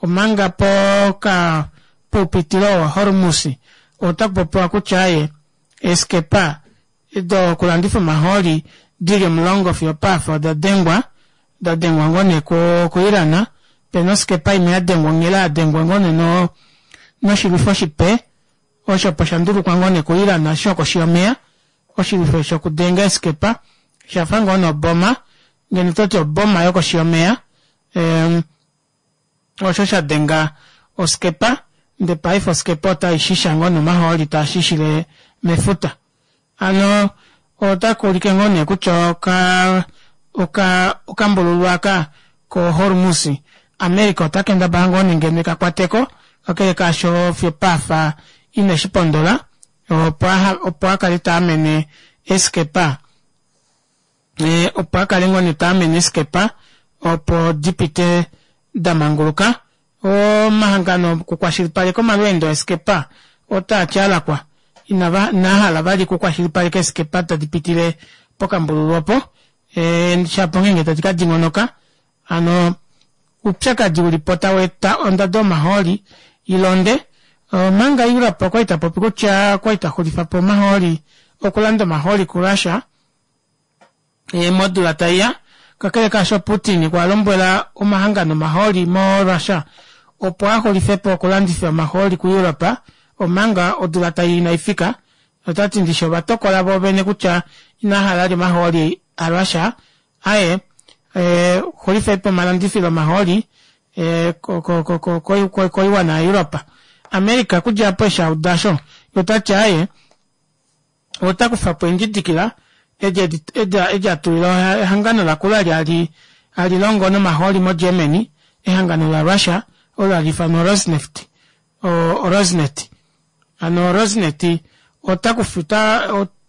A: omanga poka poupitilo wa Hormuz otaku popiwa kutya aye eskepa dokulandifa omahooli dili 10 fiyo paafa oda dengwa da dengwa ngoo nee kuIran pena oskepa imwe yadengwa onghela yadengwa ngoo nee noshilwifo shipe osho opo shandulukwa ngoo nee kuIran shokoshi yomeya oshilwifo shokudenga eskepa shafa ngoo noboma ngeno toti oboma yokoshi yomeya osho shadenga oskepa ndee paife oskepa otaishisha ngoo nomahooli taashishile mefuta. Hano otakuulike ngoo nee kutya okambululu aka koHormuz America ota kendabala ngoo nee ngeno ekakwateko kakele kaasho fiyo paafa ineshipondola opo akale taamene eskepa opo akale ngoo nee taamene eskepa opo dipite damanguluka. Omahangano okukwashilipaleka omalweendo eskepa otaa tyalakwa inahala vali okukwashilipaleka eskepa tadi pitile pokambululu opo shapo ngeenge tadi kadingonoka hano oupyakadi ulipo taweeta ondado yomahooli ilonde omanga Europe okwali tapopi kutya okwali taxulifapo omahooli okulanda omahooli kuRussia modula taiya kakele kaasho Putin okwa lombwela omahangano omahooli moRussia opo axulifepo okulandifa omahooli kuEurope omanga odula tai inaifika otati ndishi ovatokola voovene kutya inahala li omahooli aRussia aye. Eh, xulifei po omalandifilo omahooli eh, koiwana yaEuropa. America kudja apo eshi a uda osho, ye ota ti aaye, ota kufa po eendjidikila edi edi a tulila ehangano lakula eli hali hali longo nomahooli moGermany, ehangano laRussia olo hali ifanwa Rosneft, oRosnet. Hano Rosnet ota kufa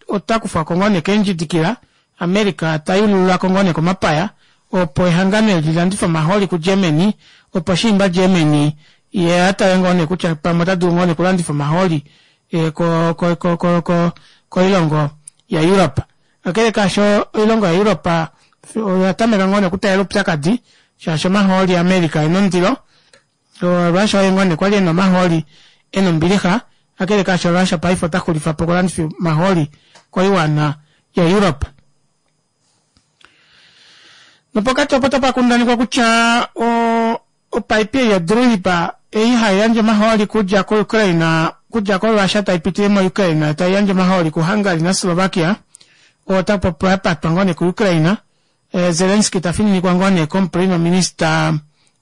A: ota kufwa ko ngoo nee keendjidikila, America ta yululula ko ngoo nee komapaya opo ehangano eli li landife omahooli kuGermany opo shiimba Germany ye a tale ngoo nee kutya pamwe ota dulu ngoo nee okulandifa omahooli eh, ko, ko, ko, ko, ko, koilongo yaEurope. Kakele kaasho oilongo yaEurope oya tameka ngoo nee okutaalela oupyakadi shaashi omahooli aAmerica ena ondilo Russia oye ngoo nee kwali ena omahooli ena ombilixa, kakele kaasho Russia paife ota xulifa po okulandifa omahooli koiwana yaEurope. Nopokati opo otapa kundanikwa kutya opaipi ei yoDrujba ei hai yandje omahooli kudja koUkraine kudja koRussia tai pitile moUkraine tai yandje omahooli kuHungary naSlovakia ota popiwa ya patwa ngoo nee kuUkraine. Eh, Zelensky ta fininikwa ngoo nee komuprima minista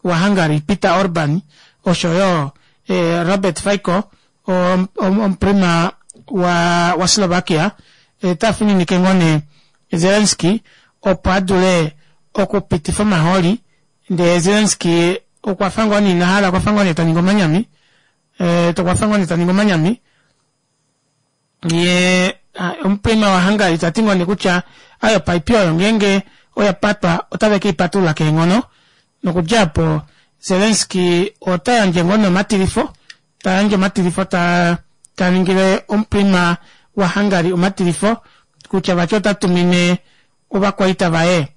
A: waHungary Peter Orban osho yo eh, Robert Fico omuprima wa, wa Slovakia eh, ta fininike ngoo nee Zelensky opo a dule okupitifa omahooli ndee Zelensky okwa fa ngoo nee ina hala okwa fa ngoo nee ta ningi omanyami eh, okwa fa ngoo nee ta ningi omanyami ye omuprima waHungary ta ti ngoo nee kutya ayo opaipi oyo ngeenge oya patwa otave ke i patulula keenghono nokudja opo Zelensky ota yandje ngoo nee omatilifo ta yandje omatilifo ta ta ningile omuprima waHungary omatilifo kutya vati ota tumine ovakwaita vaye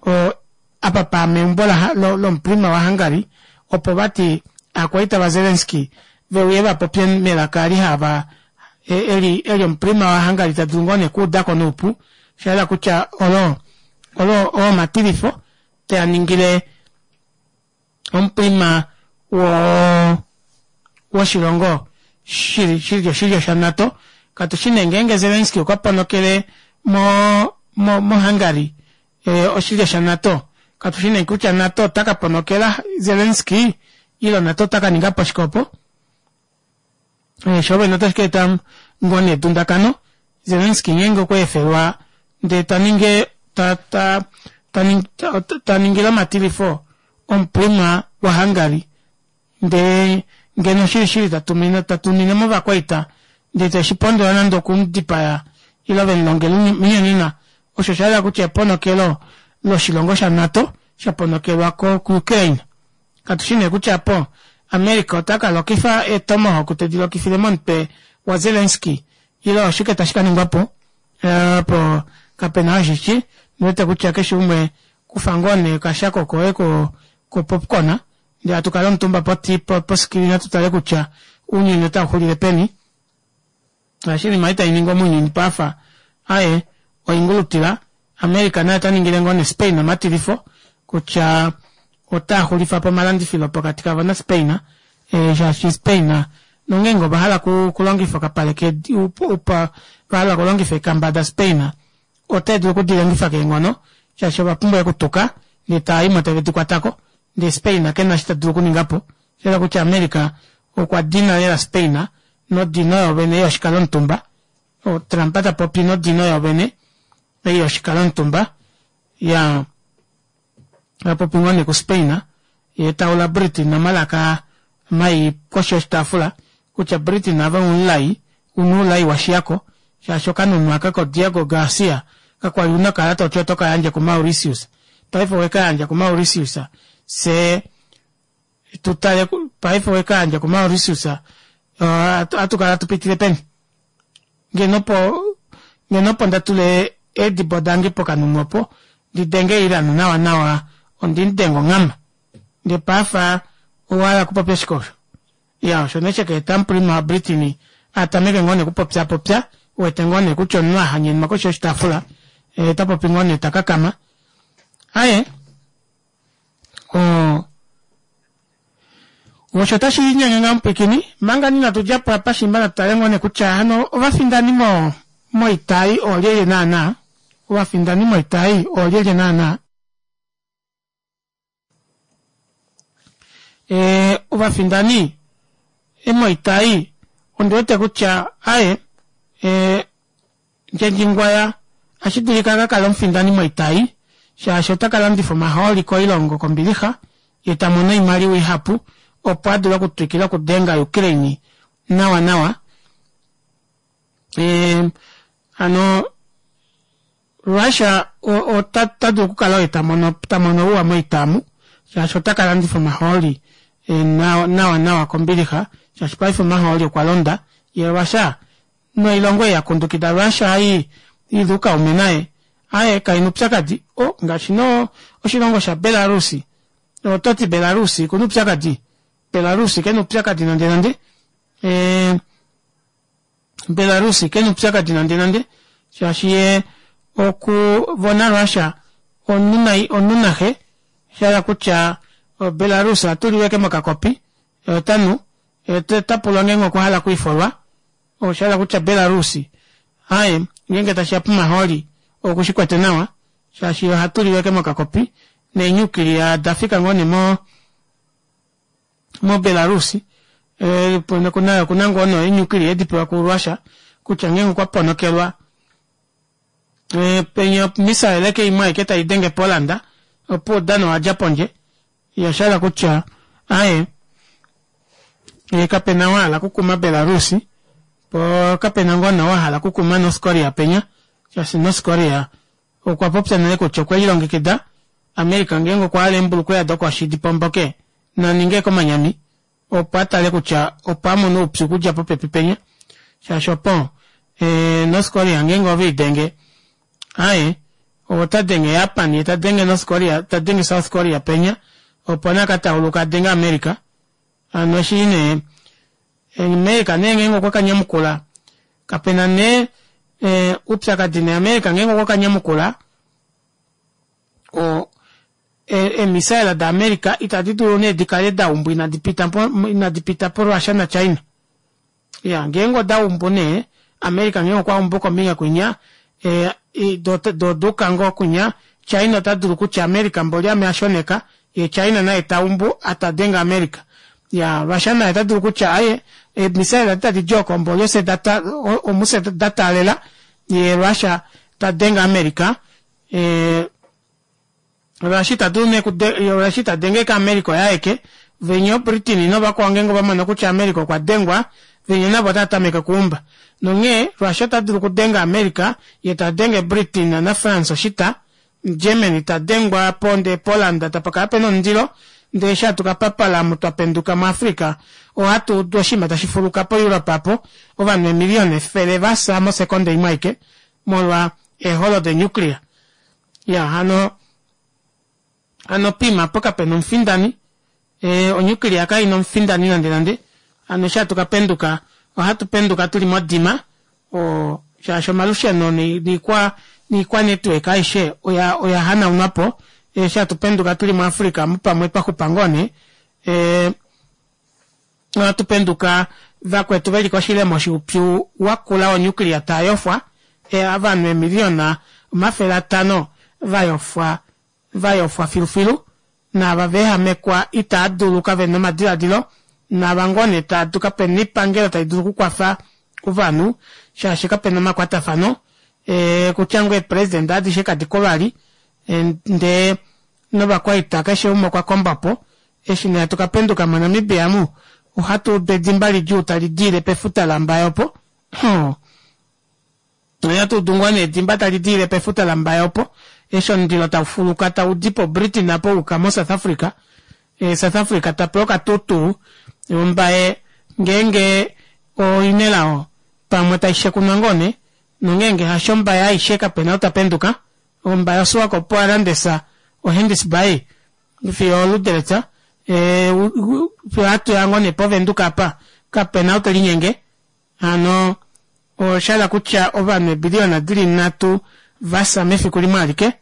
A: o apa pa meumbo lomuprima waHungary opo vati aakwaita vaZelensky ve uye va popye melaka eli hava eli eli omuprima waHungary ta dulu ngoo nee okuuda ko noupu. Osha yela kutya olo olo oo omatilifo te a ningile omuprima wo woshilongo shili shili oshilyo shaNato. Katu shi nee ngeenge Zelensky okwa ponokele mo mo moHungary e, oshilyo shaNato. Katu shi nee kutya NATO ota ka ponokela Zelensky ile NATO ota ka ninga po shike opo. Eh, sho vene otashi ka eta ngoo nee edundakano. Zelensky ngeenge okwa efelwa ndee ta ninge ta ta ta ta, ta ningile omatilifo omuprima waHungary ndee ngeno shilishili ta tumine ta tumine movakwaita ndee teshi pondola nande okumudipaya ile ve mu longele omunyonena osho osha yela kutya eponokelo loshilongo shaNato sha ponokelwa ko kuUkraine. Katu shi nee kutya po America ota ka lokifa eetomahawk tedi lokifile momutwe waZelensky ile oshike tashi ka ningwa po. Eh, po kapena oo eshi ndiwete kutya keshe umwe kufa ngoo nee okashako koye ko ko popcorn ndee hatu kala omutumba posikilina tu tale kutya ounyuni otau xulile peni. Shaashi oinima ei tai ningwa mounyuni paafa aye oingulutila. America naye ota ningile ngoo neSpain omatilifo kutya otaa xulifa po omalandifilo pokati kavo naSpain eh, shaashi Spain nongeenge ova hala okulongifa okapale kedi va hala okulongifa eekamba daSpain otai dulu okudi longifa keenghono shaashi ova pumbwa ekutuka ndee taa i mo tave di kwata ko ndee Spain ke na eshi ta dulu okuninga po. Osha yela kutya America okwa dina lela Spain nodino yoovene yoshikalomutumba. Trump ta popi nodino yoovene ei yoshikalomutumba ya ta popi ngoo nee kuSpain ye ta ula Britain omalaka mai koshi yoshitaafula kutya Britain ave omulai una oulai wa shiya ko shaashi okanunu aka koDiego Garcia kakwa li una okala toti oto ka yandje kuMauritius paife owe ka yandja kuMauritius fye tu tale paife owe ka yandja kuMauritius ohatu kala tu pitile peni ngeno opo ngeno opo nda tule eedibo dange pokanunu opo ndi denge Iran nawa nawa ondi mu denge onghama ndee paafa owa hala okupopya shike osho ya osho nee sheka eta omuprima waBritain a tameke ngoo nee okupopya popya wete ngoo nee kutya omunhu a hanyenwa koshi yoshitaafula eh, ta popi ngoo nee ta kakama aye o osho otashi linyenge ngaa mupwikini manga inatu dja po apa shimba natu tale ngoo nee kutya hano ovafindani mo moitai oolyelye naanaa ovafindani moitai oolyelye naanaa. Ovafindani moita ei ondiwete kutya aaye Ndjendjingwaya ohashi dulika akakale omufindani moita ei shaashi otakalandifa omahooli koilongo kombilixa yee tamono oimaliwa ihapu opo adule okutwikila okudenga Ukraine nawa nawa hano Russia otadulu okukala oye tamono ouwa moita omu shaashi otakalandifa omahooli nawa nawa kombilixa shaashi paife omahooli okwalonda yee Russia noilongo ei yakundukida Russia ei ili oukaume naye aaye kaina oupyakadi oh ngaashi nee oshilongo sha Belarus ototi Belarus okuna oupyakadi Belarus kena oupyakadi nande nande Belarus kena oupyakadi nande nande shaashi yee oku vo naRussia omunhu naxe shahala kutya Belarus ohatuliwa ashike mokakopi yee otanu yee otapulwa ngeenge okwahala okwiifolwa oshahala kutya Belarus aaye ngeenge tashiya pomahooli okushikwete nawa shaashi ohatuliwa ashike mokakopi neenuclear odafika ngoo nee mo moBelarus okuna ngoo nee eenuclear edipewa kuRussia kutya ngeenge okwa ponokelwa penya omissile ashike imwe aike taidenge Poland opuwo oudano owadja pondje Osha hala kutya aaye kapena oo ahala okukuma Belarus poo kapena ngoo nee oo ahala okukuma North Korea penya shaashi North Korea okwa popya nale kutya okwe lilongekida America ngeenge okwa hala eembulukweya dokoshi dipomboke naninge komanyami opo atale kutya opo amone oupyu okudja popepi penya shaashi opo North Korea ngeenge ove idenge Aaye, ota denge Japan ye ta denge North Korea, ta denge South Korea penya, opo nee aka tauluka a denge America. Hano eshi nee America nee ngeenge okwa ka nyamukula, kapena nee oupyakadi nee America ngeenge okwa ka nyamukula, o eemissile da America itadi dulu nee dikale daumbwa inadi pita inadi pita po Russia na China. Iya, ngeenge oda umbu nee, America ngeenge okwa umbu kombinga kwinya, e, do, do oduuka ngoo kwinya, China ota dulu kutya America mboli ame a shoneka, ye China naye ta umbu a ta denge America. Ya, Russia naye ota dulu kutya aye, eemissile adi tadi di oko mboli ofye da ta, omufye da taalela, ye Russia ta denge America, e, Russia ita dulu nee Russia ita denge ka America oye aeke, venya oBritain novakwao ngeenge ova mono kutya America okwa dengwa, venya navo otava tameke okuumba. Nonghee Russia ota dulu okudenga America, ye ta denge Britain naFrance oshita, Germany ta dengwa po ndee Poland tapa kala pena omundilo, ndee eshi hatu ka papala omu twa penduka muAfrica, ohatu udu oshinima tashi fuluka poEurope apo, ovanhu eemiliyona efele va fya mosekonde imwe aike molwa eeholo denuclear. Ya hano hano pima po kapena omufindani e, onyukilia kai na omufindani nande nande hano eshi hatu ka penduka ohatu penduka tuli modima o shaashi omalusheno niikwa niikwa network aishe oya oya hanaunwa po eshi hatu penduka tuli muAfrica mupamwe twa xupa ngoo nee e, Ohatu penduka vakwetu veli koshilemo shoupyu wakula wonuclear taa yofwa, ovanhu eemiliona 500 va yofwa, va yofwa filufilu, naava va ehamekwa itaa dulu kave na omadiladilo, naava ngoo nee taa du kapena oipangelo tai dulu okukwafa ovanhu shaashi kapena omakwatafano, kutya ngoo eepresident adishe kadi ko vali, ndee novakwaita keshe umwe okwa komba po. Eshi nee hatu ka penduka moNamibia amu, ohatu udu edimba lidjuu tali diile pefuta laMbaye opo. Hoo. Ohatu udu ngoo nee edimba tali diile pefuta laMbaye opo, eshi omundilo tau fuluka tau di poBritain apo wa yuka moSouth Africa. South Africa ta pewa okatuutuu, Ombaye ngeenge oina elao pamwe tai shekunwa ngoo nee, nongeenge hasho Ombaye aishe kapena ou ta penduka. Ombaye oSwakop Arandis oHenties Bay fiyo oLuderitz fiyo hatu ya ngoo nee pOvenduka apa kapena ou telinyenge hano osha hala kutya ovanhu eebiliyona dili nhatu vafya mefiku limwe alike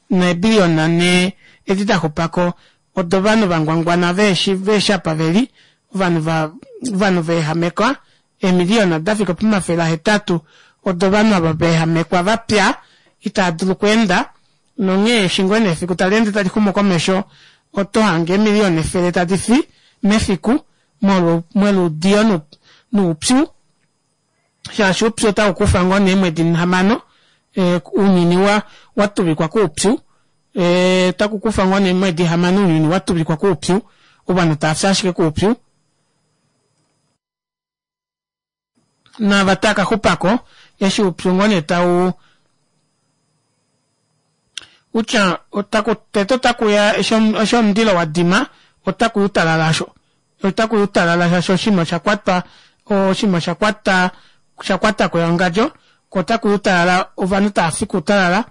A: neebiliyona nhee edi daxupako odovanhu vangwangwana veheshi veheshi apa veli ovanhu va ovanhu vaehamekwa eemiliyona dafika pomafele ahetatu odovanhu ava vaehamekwa vapya itaa dulu okweenda nonghee eshi ngoo nee efiku tali ende tali xumu komesho oto hange eemiliyona efele tadi fi. mefiku moluudiyo noupyu shaashi oupyu otau kufa ngoo nee eemwedi hamano ounyuni watuvikwa koupyu otaku kufa ngoo nee eemwedi hamano ounyuni watuvikwa koupyu ovanhu taafi ashike koupyu naava tava kaxupako eshi oupyu ngoo nee tau kutya otaku tete otakuya eshi omundilo wadima otakuya outalala osho otakuya outalala shaashi oshinima oshakwatwa oshinima oshakwata oshakwatako ewangadjo koo otakuya outalala ovanhu taafi koutalala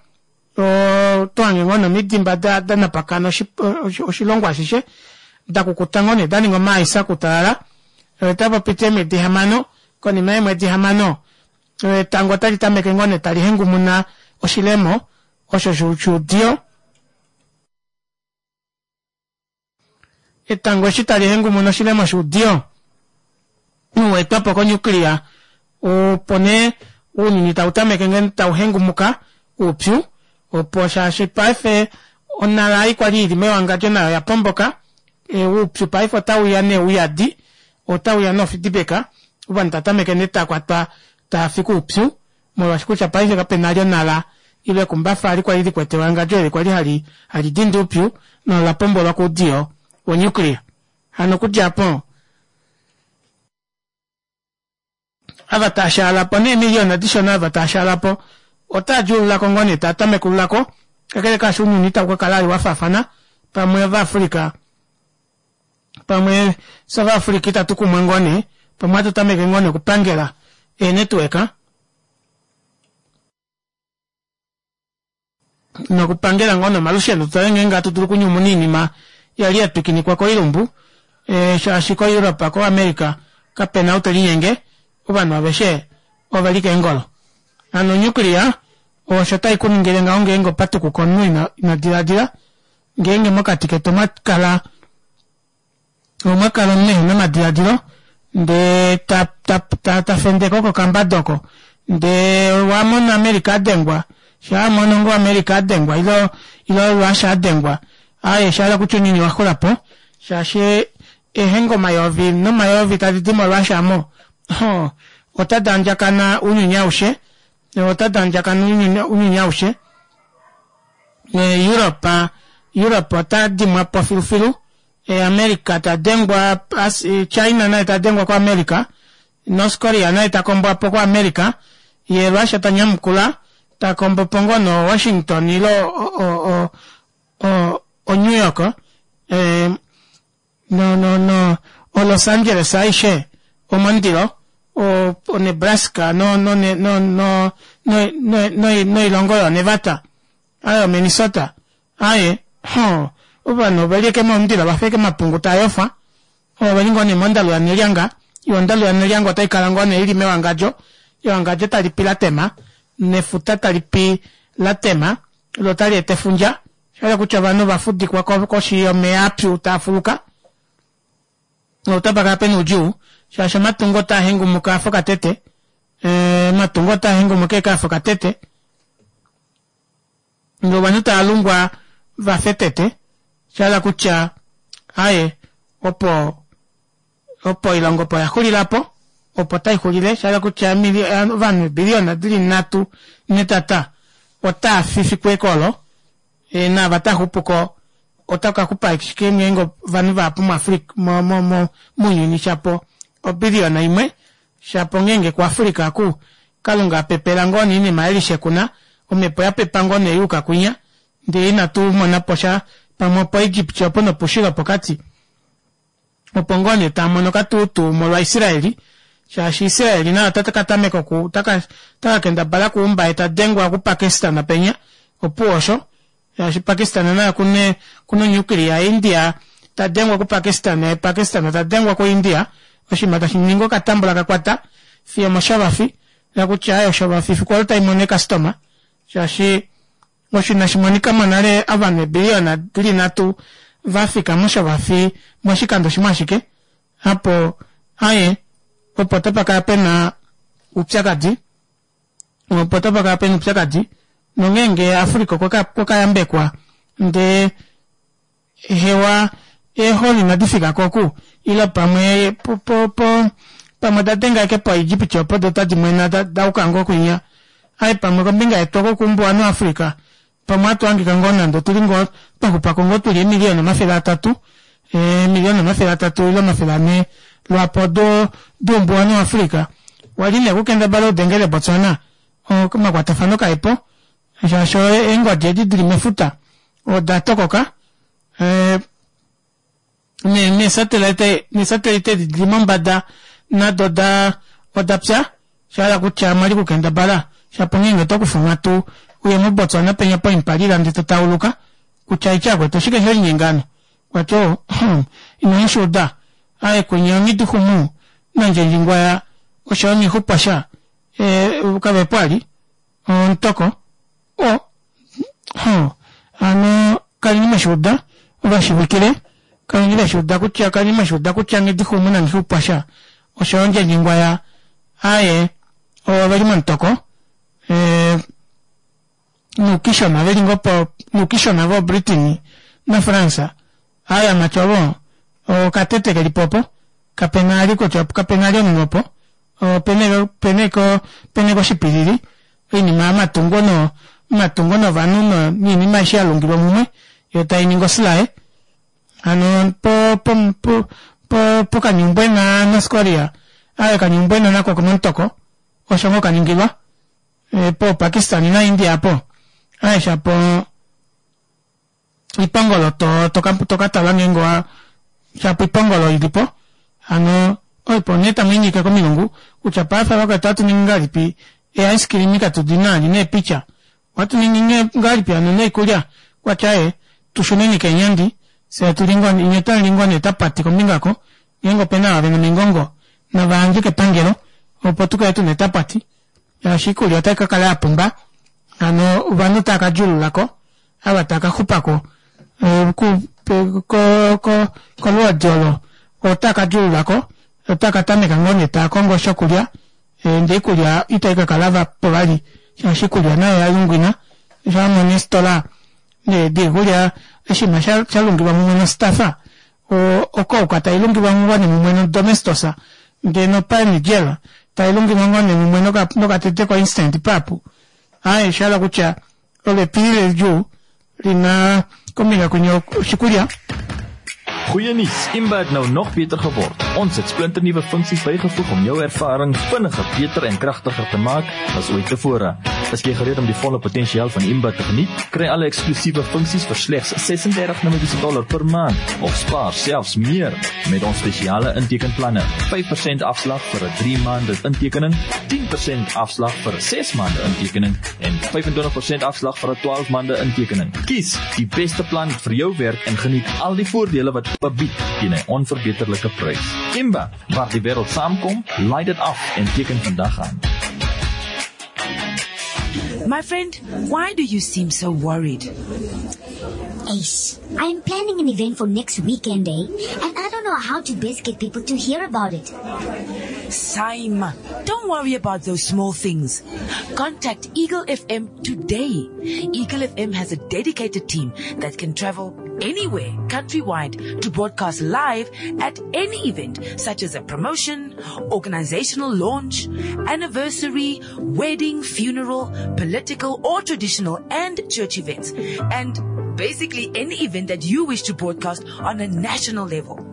A: otohange ngoo nee omidimba danapakana oshilongo ashishe dakukuta ngoo nee daninga omaaisa koutalala otapapiti eemwedi hamano konima yeemwedi hamano etango otali tameke ngoo nee tali hengumuna oshilemo osho shuudiyo Etango eshi tali hengumuna oshilemo shuudiyo weetwapo ko nuclear, opo nee ounyuni tau tameke ngeno tau hengumuka oupyu, opo shaashi paife onhala ei kwali ili mewangadjo nayo oya pomboka, oupyu paife otauya nee uyadi, otauya nofidibeka, ovanhu tava tameke nee tava kwatwa tava fi koupyu. Molwaashi kutya paife kape na li onhala ile ekumbafa ali kwali likwete ewangadjo eli kwali hali hali dindi oupyu nola pombolwa koudiyo wonuclear. Hano okudja opo ava taa shaala po neemiliyona dishona ava taa shaala po otaa djuulula ko ngoo nee taa tamekulula ko kakele kaasho ounyuni itau ka kala ali wa faafana pamwe Ovaafrika pamwe South Africa itatu kumwa ngoo nee pamwe ohatu tameke ngoo nee okupangela eenetwork nokupangela ngoo nomalusheno tutale ngeenge hatu dulu okunyumuna oinima yali ya twikinikwa koilumbu e, shaashi koEurope koAmerica kapena ou te linyenge ovanhu aveshe ove li keengolo hano onuclear osho tai ku ningile ngaho ngeenge opatukuka omunhu ina, ina diladila Ngeenge mokati ketu omwa kala omwa kala omunhu ehena omadiladilo ndee ta, ta, ta, ta fendeke oko okambada oko ndee wa mona America a dengwa shaa a mono ngoo America a dengwa ilo ilo Russia a dengwa aaye osha hala kutya ounyuni wa xula po shaashi eehenga omayovi nomayovi tadi di moRussia mo hoo otadi andjakana ounyuni aushe otadi andjakana ounyuni aushe Europe Europe ota dimwa po filufilu America ta dengwa China naye ta dengwa kuAmerica North Korea naye ta kombwa po kuAmerica ye Russia ta nyamukula ta kombo po ngoo no Washington ilo o, o, o, o New York eh, no no no o Los Angeles aishe omondilo o, o Nebraska no no no no no no no noilongo yo Nevada aye o Minnesota aye ho ovanhu ove li eke momundilo va feke omapungu taa yofa oveli ngoo nee mondalu yanelyanga yo ondalu yanelyanga otai kala ngoo nee ili mewangadjo ewangadjo tali pi latema nefuta tali pi latema lo tali eta efundja Osha hala kutya ovanhu ova fudikwa koshi yomeya apyu taa fuluka notapa kala pena oudjuu shaashi omatungo otaa hengumuka afa okatete omatungo otaa hengumuka eke afa okatete ndee ovanhu tava lungwa va fye tete sha hala kutya aaye opo opo oilonga opo ya xulila po opo tai xulile sha hala kutya ovanhu eebiliyona dili nhatu netata otaa fi fiku eke olo naava taa xupuko ota ka xupa ashike ngeenge ovanhu vahapu muAfrica mo mo mo mounyuni shapo obiliyona imwe shapo ngeenge kuAfrica aku Kalunga a pepela ngoo nee oinima yelishekuna omhepo ya pepa ngoo nee yuuka kwinya ndee inatu mona po sha pamwe opoEgypt opo nopushilo pokati opo ngoo nee taa mono katuutuu molwaIsraeli, shaashi Israeli naye ota ka tameka oku ota ka ota ka kendabala okuumba ye ta dengwa kuPakistan penya, opuwo osho, shaashi Pakistan naye okuna okuna onuclear, India ta dengwa kuPakistan ye Pakistan ta dengwa kuIndia, oshinima tashi ningi okatambula ka kwata fiyo omoshovafi, kutya aye oshovafi fiku olo tai mono eekastoma, shaashi Osho inashi monika mo nale ovanhu eebiliyona di li nhatu va fika moshovafi moshikando shimwe ashike. Apo, aye, opo otapa kala pe na oupyakadi. Opo otapa kala pe na oupyakadi. Nongeenge Africa okwa ka, okwa ka yambekwa, ndee hewa, Eeholi inadi fika ko oku, ile pamwe po, po, po, pamwe oda denga ashike poEgipti opo do otadi mwena da, da uka ngoo kwinya. Aye pamwe kombinga yetu oko kuumbuwanhu waAfrica, pamwe ohatu hangika ngoo nande otuli ngoo twa xupako ngoo tuli eemiliyona 300, eemiliyona 300 ile 400 lwaapo do, doumbuwanhu waAfrica. Wali nee okukendabala udengele Botswana, omakwatafano kaepo, shaashi eengodi edi dili mefuta oda tokoka. Neesatelite neesatelite edi dili mombada nado oda oda pya sha hala kutya mwali kukendabala shapo ngeenge oto kufa onghatu uye moBotswana penya poimpalila ndee to tauluka kutya aitya akwetu oshike she linyenga hano kwati oo inamu shi uda aaye kwinya onghiduxumu nandjendjingwaya oshoyo nghixupwasha kavepo ali omutoko o ho hano kaleni mweshiuda ovashivikile kaleni veshiuda kutya kaleni mweshiuda kutya nghidixumu nanghixupwasha oshoyo ndjendjingwaya aaye oveli momutoko e, nuukishona veli ngo po nuukishona vo Britain na France aaye amati ovo okatete kelipo opo kapena ali kutya kapena ali omunhu opo opena opena opena oshipilili oinima yomatungo no omatungo novanhu no niinima aishe ya lungilwa mumwe yo tai ningi osilaye hano po po po po pokanyumbwena North Korea aye kanyumbwena nako okomomutoko osho ngoo kaningilwa e, po Pakistan na India apo aye shapo oipongolo to to to ka tala ngeenge wa shapo oipongolo ili po hano oipo nee tamu inyike komilungu kutya paife vakwetu ohatu ningi ngahelipi ee ice cream katu di na ali neepicha ohatu ningi ngahelipi hano noikulya kwatya ee tushuneni keenyandi fye tuli ngoo nye otamu li ngoo nee tapati kombinga oko ngeenge opena ava vena omingongo nava yandje kepangelo opo tukale tuna etapati shaashi oikulya otai kakala yapumba hano ovanhu otava ka djuululako ava tava ka xupako kolwoodi olo otava ka djuululako otava ka tameka ngoo nee tava kongo shokulya ndee oikulya itai ka kala po vali shaashi oikulya nayo oya lungwina eshi wamona eefitola diikulya oshinima sha lungilwa mumwe nostafa okouka tai lungilwa ngoo nee mumwe nodomestos ndee nopine gel tai lungilwa ngoo nee mumwe nokatete ko instant pap aaye oshahala kutya olo epilili lidjuu lina kombinga kwinya oshikulya.
C: Goeie nuus, Imba het nou nog beter geword. Ons het splinternuwe funksies bygevoeg om jou ervaring vinniger, beter en kragtiger te maak as ooit tevore. Is jy gereed om die volle potensiaal van Imba te geniet? Kry alle eksklusiewe funksies vir slegs $36 per maand of spaar selfs meer met ons spesiale intekenplanne. 5% afslag vir 'n 3 maande intekening, 10% afslag vir 'n 6 maande intekening en 25% afslag vir 'n 12 maande intekening. Kies die beste plan vir jou werk en geniet al die voordele wat Imba bied teen 'n onverbeterlike prys. Imba, waar die wêreld saamkom, laai dit af en teken vandag aan.
K: My friend, why do you seem so worried?
L: Ace, I'm planning an event for next weekend, eh? And I don't know how to best get people to hear about it.
K: Saima, don't worry about those small things. Contact Eagle FM today. Eagle FM has a dedicated team that can travel anywhere countrywide to broadcast live at any event such as a promotion, organizational launch, anniversary, wedding, funeral, political or traditional and church events. And basically any event that you wish to broadcast on a national level.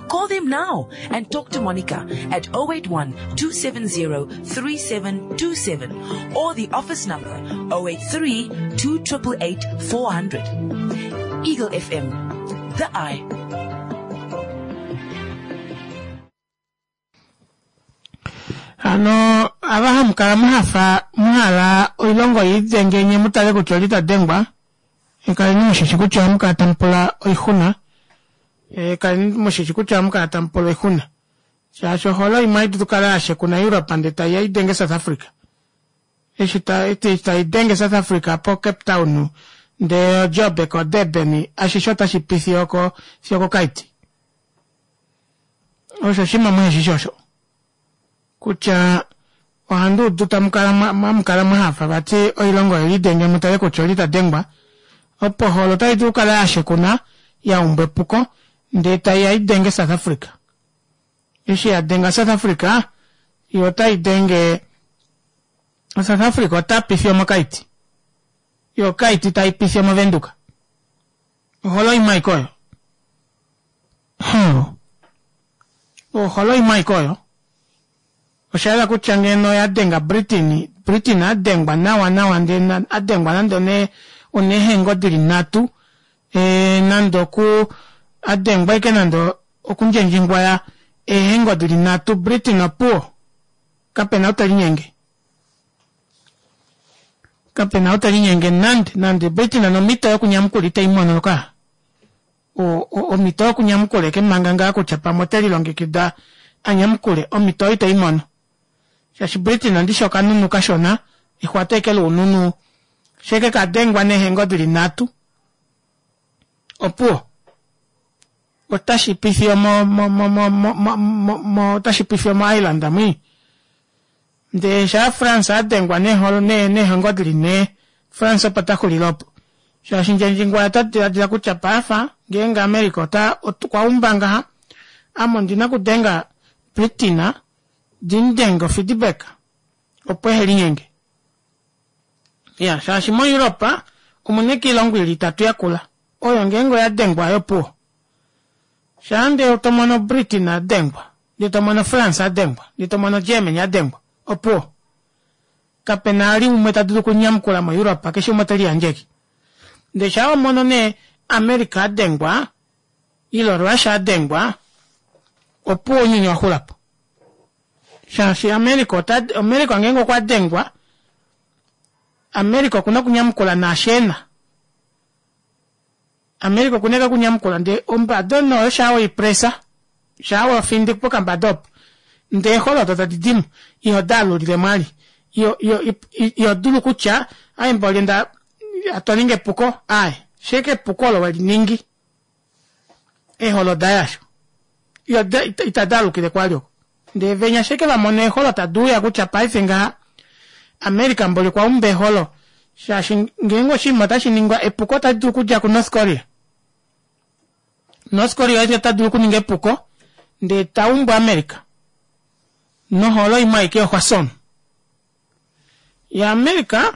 K: Call them now and talk to Monica at 081 270 3727 or the office number 083 2888 400. Eagle FM, the eye.
A: Hano ava hamu kala mwa mwa hala oilongo i denge nye mu tale kutya oli ta dengwa kaleni mushishi kutya ohamu kala tamu pula oixuna kaleni mushishi kutya ohamu kala tamu pula oixuna shaashi oholo imwe hai dulu kala ya shekuna Europe ndee taiya i denge South Africa eshi tai denge South Africa po Cape Town ndee oJoburg oDurban ashishe otashi pi fiyo oko fiyo koKaiti osho oshinima muheshishi osho kutya ohandi udu tamu kala hamu kala mwa hafa vati oilongo oyo lidenge mu tale kutya oli ta dengwa opo oholo otai dulu okukala ya shekuna ya umbwa epuko Ndee taiya idenge South Africa. Eshi ya denga South Africa, yo otai denge South Africa ota pifi omokaiti. Yo kaiti tai pifi omovenduka. Oholo imwe aike oyo. Hmm. Oholo imwe aike oyo. Osha yela kutya ngeno oya denga Britain, Britain a dengwa nawa nawa ndee a dengwa nande one oneehengo dili nhatu e, nande oku a dengwa ike nande okundjendjingwaya eehengo dili nhatu Britain opuwo kapena ou te linyenge kapena ou te linyenge nande nande Britain nomhito yokunyamukula itei mono ka omhito yokunyamukula eke manga ngaa kutya pamwe ote lilongekida a nyamukule omhito oyo itei mono shaashi Britain ndishi okanunu kashona exwata eke loununu sheke ka dengwa neehengo dili nhatu opuwo otashi pifi mo mo mo mo mo mo mo otashi pifi omo Ireland mwi ndee shaa France a dengwa neeholo neehengo dili nhee France opo ta xulile opo shaashi Ndjendjingwaya ota diladila kutya paife ngeenge America ota okwa umba ngaha ame ondina okudenga Britain ndimudenge ofeedback opo ehe linyenge ya shaashi moEurope omuna eke oilongo ili itatu yakula oyo ngeenge oya dengwa ayo opuwo shaa ndee to mono Britain a dengwa ndee to mono France a dengwa ndee to mono Germany a dengwa opuwo kapena ali umwe ta dulu okunyamukula moEurope keshe umwe ote liyandjeke ndee shaa wa mono nee America a dengwa ile Russia a dengwa opuwo ounyuni wa xulapo shaashi America ota America ngeenge okwa dengwa America okuna okunyamukula naashi ena America okuna eke okunyamukula ndee ombada oyo shaa weipresa shaa wafindi pokambada opo ndee eeholo odo tadi dimo iho daalulile mwali iyo iyo iho dulu kutya aye mboli nda twa ninga epuko aye sheke epuko olo weliningi eeholo oda yasho iyo itadi alukile kwali oko ndee venya sheke va mona eeholo tadi uya kutya paife ngaha America mboli okwa umba eeholo shaashi ngeenge oshinima otashi ningwa epuko otali dulu okudja kuNorth Korea North Korea ota dulu okuninga epuko ndee ta umbu America noholo imwe aike yoHwasong yaAmerica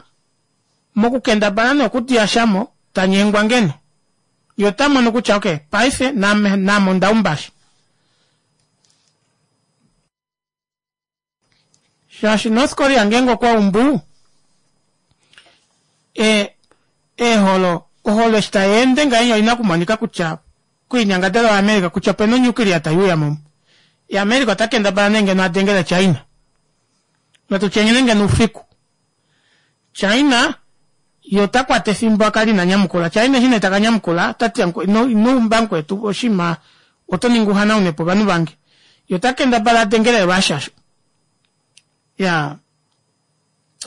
A: mokukendabala nee okudiyashamo ta nyengwa ngeno ye ota mono kutya ok paife naame naame onda umba sha shaashi North Korea ngeenge okwa umbu e, eeholo oholo eshi tai ende ngahenya oina okumonika kutya koinyangadalwa yaAmerica kutya opena onyuklia tai uya mo yaAmerica ota kendabala nee ngeno a dengele China natu tye ngeno ngeno oufiku China ye ota kwata efimbo a kale ina nyamukula. China eshi nee taka nyamukula ota ti ino ino umba mukwetu oshinima oto ningi uhanaune po ovanhu vange. Ye ota kendabala a dengele Russia sho. Ya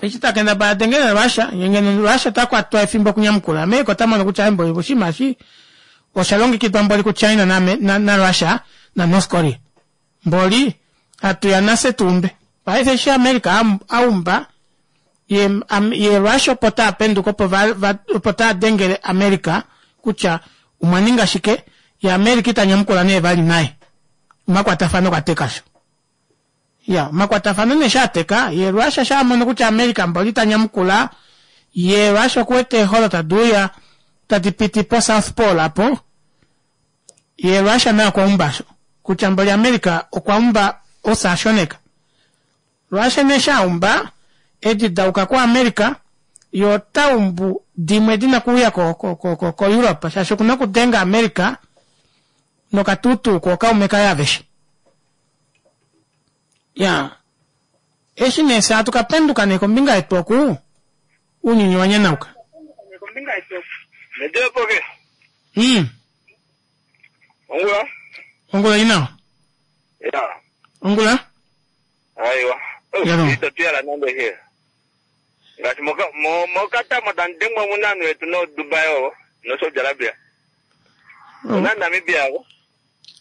A: eshi ta kendabala a dengele Russia ye ngeno Russia ota kwatwa efimbo okunyamukula America ota mono kutya mboli oshinima eshi osha longekidwa mboli kuChina na, na, na Russia na North Korea. Mboli hatu ya nafye tu umbe. Paife eshi America a umba ye, ye Russia opo taa penduka opo va, va, opo taa dengele America kutya omwa ninga shike, ye America ita nyamukula nee vali naye. Omakwatafano okwa teka sho. Ya, omakwatafano nee sha teka, ye Russia sha mono kutya America mboli ita nyamukula, ye Russia okuwete eeholo tadi uya tadi piti po South Pole apo, Ye Russia naye okwa umba sho kutya mboli America okwa umba osashoneka. Russia nee sha umba edi da uka ku America ye ota umbu dimwe dina kuuya ko, ko, ko, ko, ko Europe shaashi okuna okudenga America nokatuutuu kookaume kaye aveshe. Ya eshi nee fye hatu ka penduka nee kombinga yetu oku ounyuni wa nyanauka.
I: Medepoke. Ongula.
A: Ongula ina.
I: Ya.
A: Ongula.
I: Aiwa. Ito tuyala nande he. Ngaashi moka mo mokatamo tandengwa munanu yetu no Dubai ovo no Saudi Arabia. Ona Namibia ovo.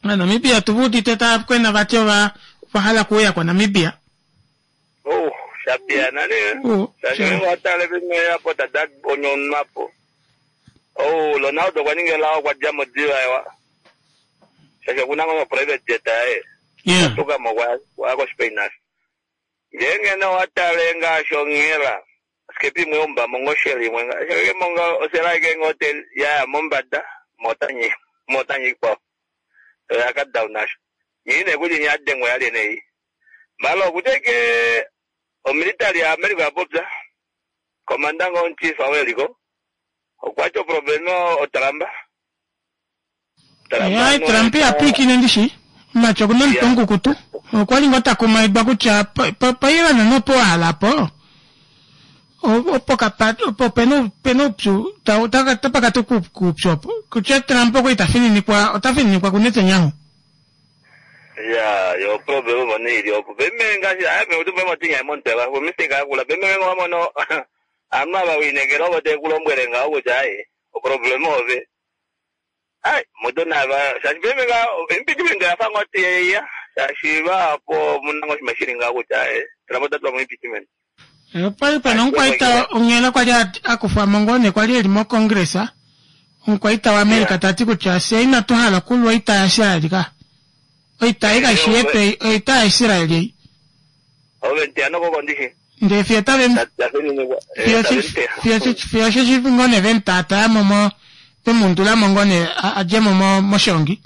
A: Na Namibia tu udite ta kwena vati ova ova hala kuuya kwa Namibia.
I: Oh, shapiyana ne.
A: Oh,
I: Shaashi ngeenge owa tale vimwe apo tada onyonwa po. Oh, Ronaldo okwa ninga elao okwa dja mo diva ewa. Shaashi okuna ngoo private jet yaye.
A: Yeah.
I: Tuka mo kwa kwa ko Spain nasho. Ngeenge nee owa tale ngaashi onghela skepa imwe yomba mo shell imwe ngaashi monga osela ike ngoo te ya mombada motanyi motanyi ikwao. Oya ka down nasho. Nyine kuti nyadengwa yali nei. Malo kuteke omilitary ya America ya popya. Komanda ngo chief aweliko. Okwati oproblema otalamba.
A: Ai, Trump apwiikine ndishi omatyo okuna omutwe omukukutu okwa li ngoo takumaidwa kutya paIran nopo wahala po opo kapa opo pena pena oupyu tapakati kuupyu opo kutya Trump okwali tafininikwa otafininikwa kuNetanyahu.
I: Ya, yo problema mone ili opo. Beme ngaashi aya me utumbe motinya monteba, ko mistake akula. Beme ngo mono ama ba winegera obo te kulombwele ngawo kutya ai, oproblema ove. Ai, moto na ba, shaashi beme nga impeachment yafa ngoti ya. Shaashi ba po munango shimashiri ngawo kutya ai, Trump tatwa mo impeachment.
A: Opali pena omukwaita onghela kwali akufwamo ngoo nee kwali eli mocongress omukwaita waAmerica tati kutya fye inatu hala okulwa oita yaIsraeli ka. Oita ei kaishi yetu ei, oita yaIsraeli ei.
I: Ove ntiano koko ndishi.
A: Ndee fiyo tave fiyo osheshi ngoo nee vemutaataya mo vemuundulamo ngoo nee adjemo moshongi.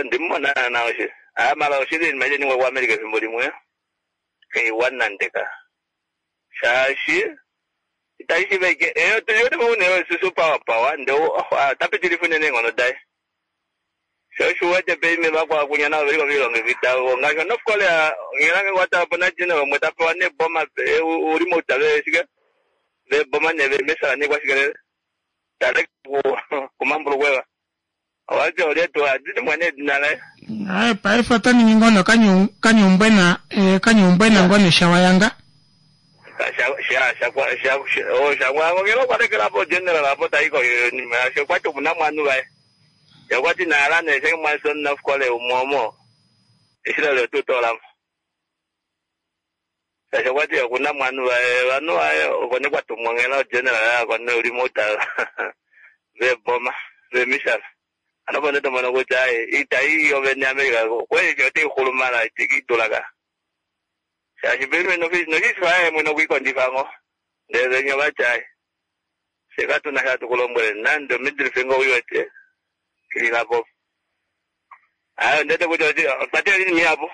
I: Ndimumona naana oshi. Ah, mala oshili iinima ite ningwa kuAmerica efimbo limwe. Keiwana ndeka. Shaashi itashi shiveke tuliwete moune susu power power nde tapitilifa unene eenghono daye. Sho oshiwete peime vakwakunya navo veliko vilongekida ngaashi North Korea ngelange kwata po na general umwe tapewa neboma uli moutave shike veboma ne vemesala nekwashikelele tale kumambulukweva owati olyetu adidimwa nedina laye.
A: Ai, paife ota ningi ngoo nokanyuumbwena kanyuumbwena ngoo neshawayanga.
I: Shangwangongela okwalekela po general apo taiko okwati omuna mwanhu vaye. Okwati naala ne shenge mwaso North Korea umwe omo Israel otutolamo. Shaashi okwati okuna mwanhu vaye vanhu vaye okone kwatumwa onghela general akone uli mouta veboma vemisala. Ano po netomono kutya ita iyi yovene America kweli otai xulumala itikidula ka. Shaashi peme noshiswa mwene okwikondifa ngo. Ndele venya vati ai. Fye katuna sha tukulombwele nande middle finger uiwete ililapo. Ayo ndete kutya opate lini miapo.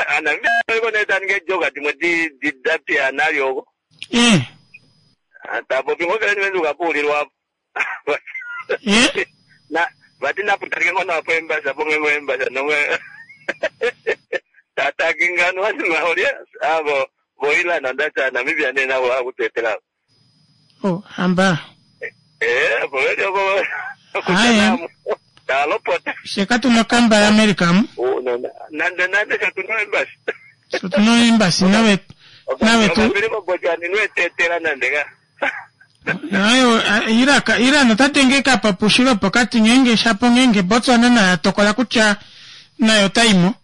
I: Ana iko neta ninge joka dimwe di di dapia nalyo. Tapopi ngo vele niwenduka puulilwa. Na vati naputalike ngono apo embasa po ngwe embasa nomwe. Tata kingano wati maolye abo boila na Namibia nena wa kutetela.
A: Oh, hamba.
I: Boile ko
A: Aya.
I: Talopota.
A: Fye katuna okamba yaAmerica mu.
I: Nande nande katuna embasi.
A: Katuna embasi nawe nawe tu.
I: Okapiriko bojani nwetetela nande ka.
A: Ayo Iraq Iran ota denge kapapushilo pokati ngenge shapo ngenge Botswana nayo tokola kutya nayo taimo.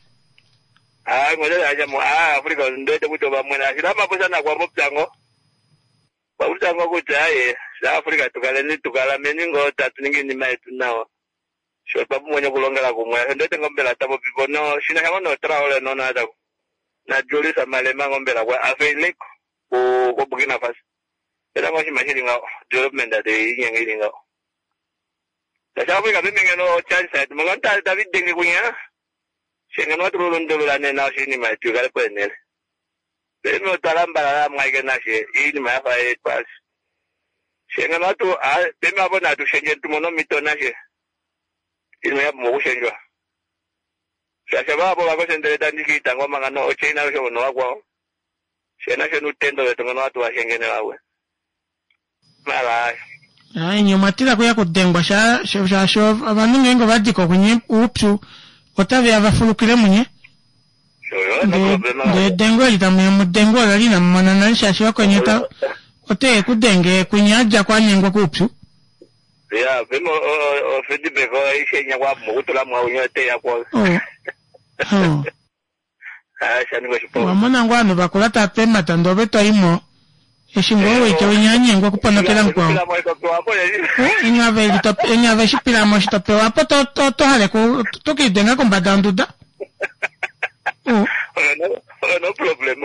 I: Ah, ngoja aja mo ah Afrika ndete kuti vamwe na shila na kwa popyango. Popyango kuti aye sa Afrika tukaleni tukalameni ngo tatu ningi iinima yetu nawa. Sho twa okulongela kumwe ndete ngombela tapopipo no shina shango no traole no na na Julius Malema ngombela kwa afeileko ku ko Burkina Faso. Era ngo shima shili ngawo development ate inyenge ili ngawo. Tasha Afrika pemenge no chance side mo nganta David denge kunya. Shenga no tululundulula nena oshinima yetu ikale kwenele. Peme otalambala mwaike nashe iinima yafa yetwasi. Shenga no tu peme apo natu shenje tumono mito nashe. Iinima yapumbwa okushendjwa. Shasha vapo vakoshendele tandikita ngoma ngano ochaina osho no wakwao. Shena shenu tendo vetu ngono watu washengene wawe. Mala.
A: Ai nye omwatila kuya kudengwa shaashi ovanhu ngeenge ovadika kunye uupyu otaveya vafulukile munye. Ndee edengo eli tamuya mudengo olo linamumona nale shaashi vakweni oteye kudenge kunye adja kwanyengwa kuupyu.
I: Ya, peme o feedback o ishenya kwa mukutula mwa unyo te ya kwa.
A: Oh.
I: Ah, shaningo shipo.
A: Wamona ngoo ovanhu vakula tava pemata ndee ove toimo Eshi ngoo wete winya anyengwa okuponokela mukwao. Enya ve shi pila mo shi to pewa po to to to hale ku to kiidenga kombada yonduda.
M: Oyo no problem.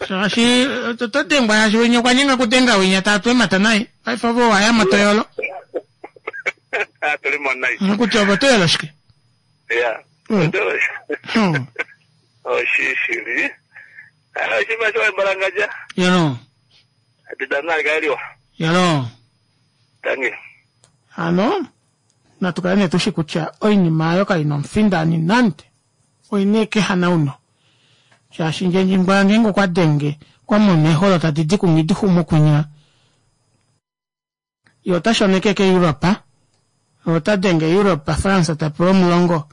A: Shaashi to dengwa shaashi winya okwa nyenga kudenga winya taa tu emata naye. Paife ove owa ya mo to yolo.
M: Ah, tuli mo nai.
A: Kutya ove oto yolo shike?
M: Ya. Oshishili. Oshinima shoye mbalangadja.
A: Yalo.
M: Etitano nali kale liwa.
A: Yalo.
M: Tangi.
A: Hano natu kale nee tushi kutya oinima ayo kai na omufindani nande. Oina eke hanauno. Shaashi Ndjendjingwa ngeenge okwa denge okwa mona eeholo tadi di kumwe di xumu kwinya Ye ota shoneke ke-Europa. Ota denge Europa, France ta pewa omulongo,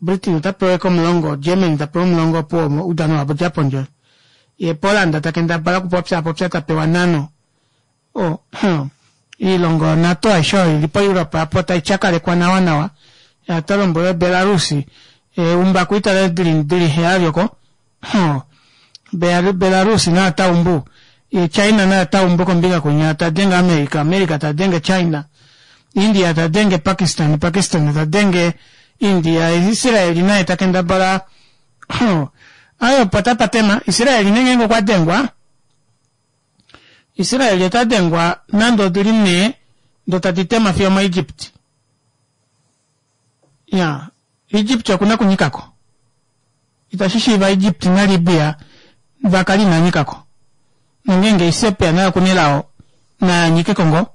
A: Britain ota pewa eke omulongo, Germany ta pewa omulongo opuwo oudano wavo dja pondje. Ye Poland ta kendabala okupopyaapopya ta pewa nhano. O, huh. Oilongo yoNATO aishe oyo ili po-Europa apo tai tyakalekwa nawanawa. Ya ta lombwele Belarus, e, umba kuitale dili, dili heyali oko. Huh. Belarus naye ota umbu. Ye China naye ota umbu kombinga kwinya, ta denge America, America ta denge China. India ta denge Pakistan, Pakistan ta denge India. Israel naye ta kendabala. Huh. Aye opo tapa tema. Israel nee ngeenge okwa dengwa, Israel ota dengwa nande odili nhee ndo tadi tema fiyo moEgypt. Ya, Egypt oku na okunyika ko. Itashi shiiva Egypt naLibya va kale inaa nyika ko. Nongeenge Ethiopia naye oku na elao, na nyike ko ngoo.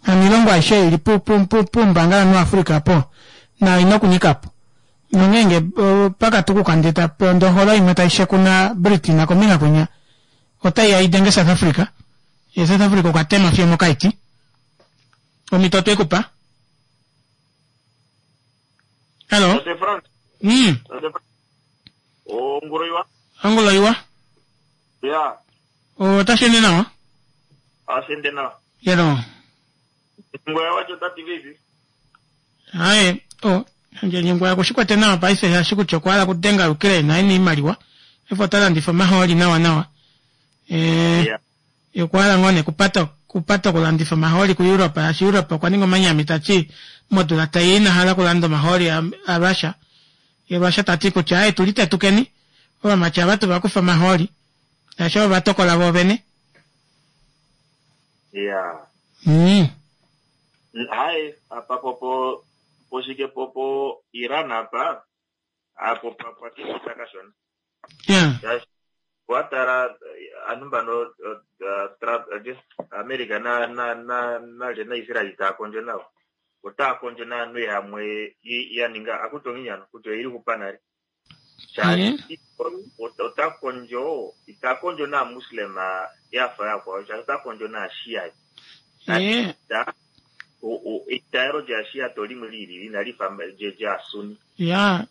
A: Hano oilongo aishe oyo i li pu, pu, pu, puumbangalanhu waAfrica opo, nayo oi na okunyika po. Nongeenge pa ka tukuka ndee ta, ndee oholo imwe tai shekuna Britina kombinga kwinya, otai ya i denge South Africa, ye South Africa okwa tema fiyo omokaiti. Omhito otwe ku pa. Hello.
I: Tate Frans. Tate Frans. Ongula iwa.
A: Ongula iwa.
I: Ya.
A: Otashi ende nawa?
I: Otashi ende nawa.
A: Yelo.
I: Ngwaya wacho tati vipi?
A: Haye, o, nje ngwaya kushikwete nawa paife shaashi kutya okwa hala kudenga Ukraine aye iimaliwa. Efo ota landifa omahooli nawa nawa. Eh.
I: Yeah.
A: Ye okwa hala ngoo nee kupata kupata okulandifa omahooli kuEurope shaashi Europe okwa ninga omanyami ta ti modula tai ya ina hala okulanda omahooli aRussia. Ye Russia ta ti kutya aaye tu litetukeni ovamati ava tu va kufe omahooli shaashi ovo va tokola voovene.
I: Ya. Haye apa popo poshike popo Iran apa apo pwa kishita kashona.
A: Ya.
I: Shaashi wa tala aantu mbano Trump, America na na na nalye naIsrael taya kondjo nawo otaya kondjo naantu yamwe ya ninga akuti onginyano kutya oyeli hupa nale shaashi ota kondjo ita kondjo naamuslim ya fa yakwawo shaashi ota kondjo naashia eitaalo lyaashia to limwe li ilili inali fa lyaasuni
A: ya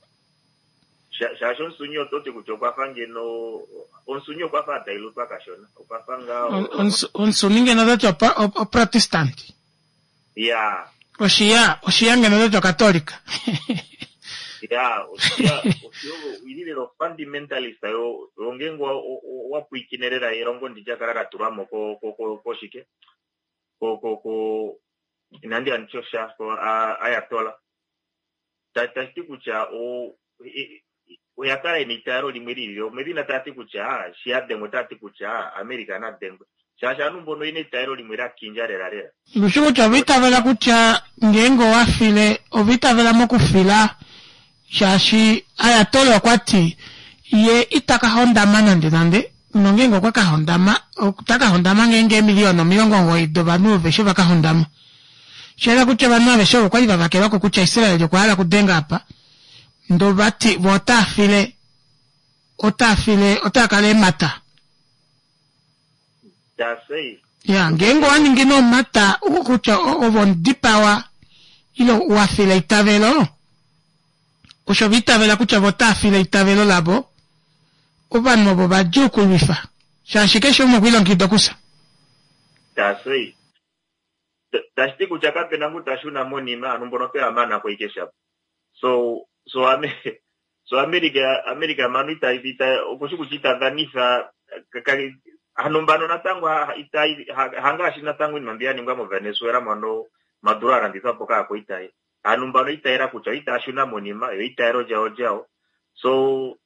I: Shaashi omusunyi oto ti kutya okwa fa ngeno omusunyi okwa fa a dailutwa kashona okwa fa ngaa
A: omusuni ngeno ota ti oprotestant
I: ya
A: oshiya oshiya ngeno ota ti okatolika
I: ya oshiya oshiya ili lela ofundamentalist yo ngeenge wa pwiikine lela elongo ndi lya kala la tulwa mo ko ko koshike ko ko ko inandi ya nditye osha ko ayatola Tashi ti kutya oya kala yena eitaalo limwe li ilile. Omedhina taya ti kutya shi ya dhengwa otaya ti kutya America na dhengwe. Shaashi aantu mbono oyena eitaalo limwe lya kindja lela lela.
A: Ndushi kutya ova itavela kutya ngeenge owa file, ova itavela mokufila shaashi Ayatollah okwa ti ye ita ka hondama nande nande, nongeenge okwa ka hondama, ota ka hondama ngeenge eemiliyona 90 dovanhu aveshe va ka hondama. Osha yela kutya ovanhu aveshe ovo kwali va vakelwa ko kutya Israel okwa hala okudenga apa, ndoo vati vo otaa file, otaa file, otaa kala eemhata. Ya, ngeenge owa ningi nee omhata kutya ove omudipawa ile wa fila eitavelo, osho va itavela kutya vo otaa file eitavelo lavo, ovanhu ovo vadjuu okulwifa, shaashi keshe umwe okwa ilongekida okufya.
I: Tashi ti kutya kape na ngu ta shuna monima, aantu mbono oto ya mana ko ike shapo. So, so ame, so America, America mano ita, ita, oku shi kutya ita dhanitha, ka, ka,
N: Hano mbano natango itai hangaashi natango iinima mbi ya ningwa moVenezuela mono Maduro a landithwa po kaakwaita ye. Aantu mbano itayela kutya itaya shuna monima yo itayelo lyawo lyawo. So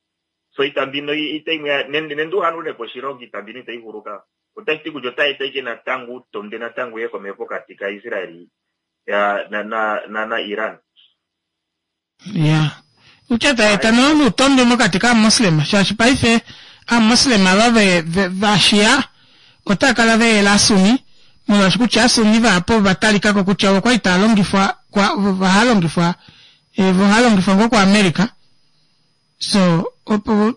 N: so iita mbino ita imwe nende nende uhanule po oshilongo iita mbino itayi hulu ka. Otashi ti kutya otayi eta ike natango uutonde natango uye komeho pokati ka Israel ya na na na, na Iran.
A: Ya. Utya ta eta no nuutondi mokati kaamoslema shaashi paife aamoslema ava ve, ve, vashia otava kala ve yela asuni molwaashi kutya asuni vahapu ova talika ko kutya ovo kwali tava longifwa kwa vo halongifwa eh, vo halongifwa ngoo kuAmerica so opo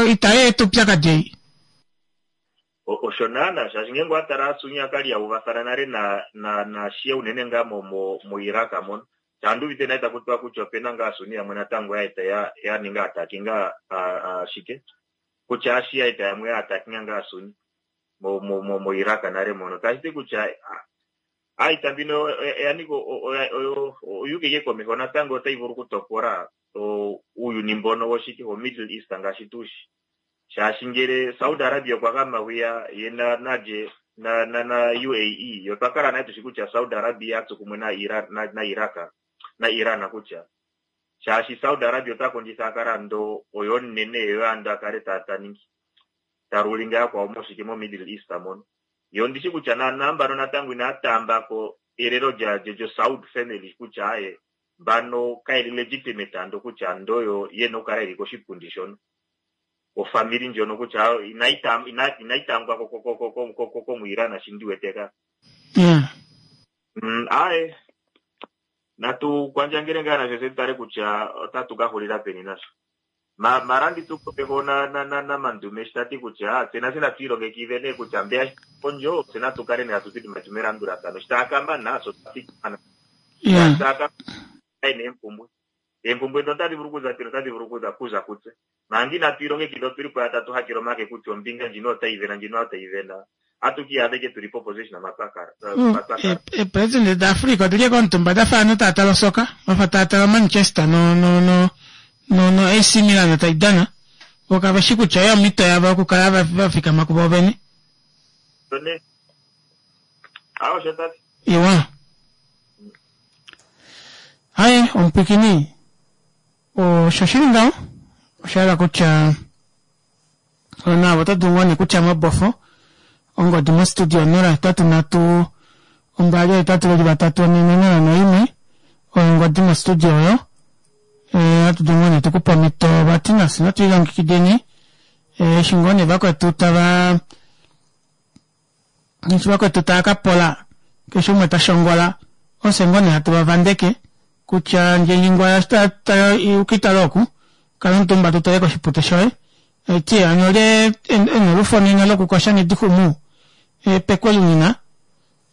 A: itayi eta oupyakadi ei.
N: Osho naana, shaashi ngeenge owa tala Sunni ka li ya uvathana nale na na na Shia unene ngaa mo mo mo Iraq mono. Sha andi uvite nale taku tiwa kutya opena ngaa Sunni yamwe natango ya eta ya ya ninga attackinga a a shike kutya aaShia eta yamwe ya attackinga ngaa Sunni mo mo mo mo Iraq nale mono. Tashi ti kutya aita mbino oya nika oyo oyuuka ike komeho natango otayi vulu okutopola uuyuni mbono woshike wo Middle East ngaashi tushi. Shaashi ngele Saudi Arabia okwa gama hwiya ye na nalye na na na UAE ye otwa kala nale tushi kutya Saudi Arabia a tsu kumwe na Iran na, na Iraq na Iran kutya shaashi Saudi Arabia ota kondjitha a kale ando oye omunene ye ando a kale ta ta ningi ta rulinga yakwawo moshike mo Middle East mono. Ye ondi shi kutya naanaa mbano natango inaya taamba ko elelo lya lyo lyo Saud family kutya aye mbano kayeli legitimate ando kutya ando oyo yena okukala yeli koshipundi shono. ofamili ndjono kutya inayi taam- ina- inayi taambwa ko- ko- ko- ko- ko- ko- ko- komuIran shi ndi wete ka. Aye natu kwandjangele ngaa nasho se tu tale kutya otatu ka hulila peni nasho. Ma marandi tu komeho na na na na Mandume shi ta ti kutya tse natse natu ilongekidhe nee kutya mbeya shi kondjo tse natu kale nee hatu thikama tu melandulathano shi taya ka mana so twa thikama
A: Yeah.
N: taya ka mana eempumbwe Eempumbwe ndhono otadhi vulu okuza peni? Otadhi vulu okuza kuza kutse. Manga inatu ilongekidha otuli po yatatu hakele omake kutya ombinga ndjino otayi vena ndjino otayi vena. Atu ki iyadha ike tuli poposition mpa twa kala. Mpa twa kala.
A: Eepresidente daAfrica odili ashike omutumba dafa ovanhu tava tale osoka, vafa tava tale oManchester no no no no no AC Milan tai dana. Vo kave shi kutya oyo omhito yavo yokukala va va fikama kuvo vene.
N: Osho nee. Aa osho tati.
A: Iwa. Aye, omupwikini, osho shi li ngaho. Osha yela kutya naavo oto dulu ngoo nee kutya mobofo ongodi mostudio 083 283 401 oyo ongodi mostudio oyo. Eh, ohatu dulu ngoo nee tukupe omhito vati nafye natu lilongekideni eh, eshi ngoo nee vakwetu tava Eshi vakwetu tava ka pola, keshe umwe ta shongola, ofye ngoo nee hatu va vandeke kutya ndjendjingwaya eshi ta ta ukitala oku, kala omutumba tu tale koshipute shoye. Eti hano olye ena olufo nena lokukosha nedixumu epekwelu nina,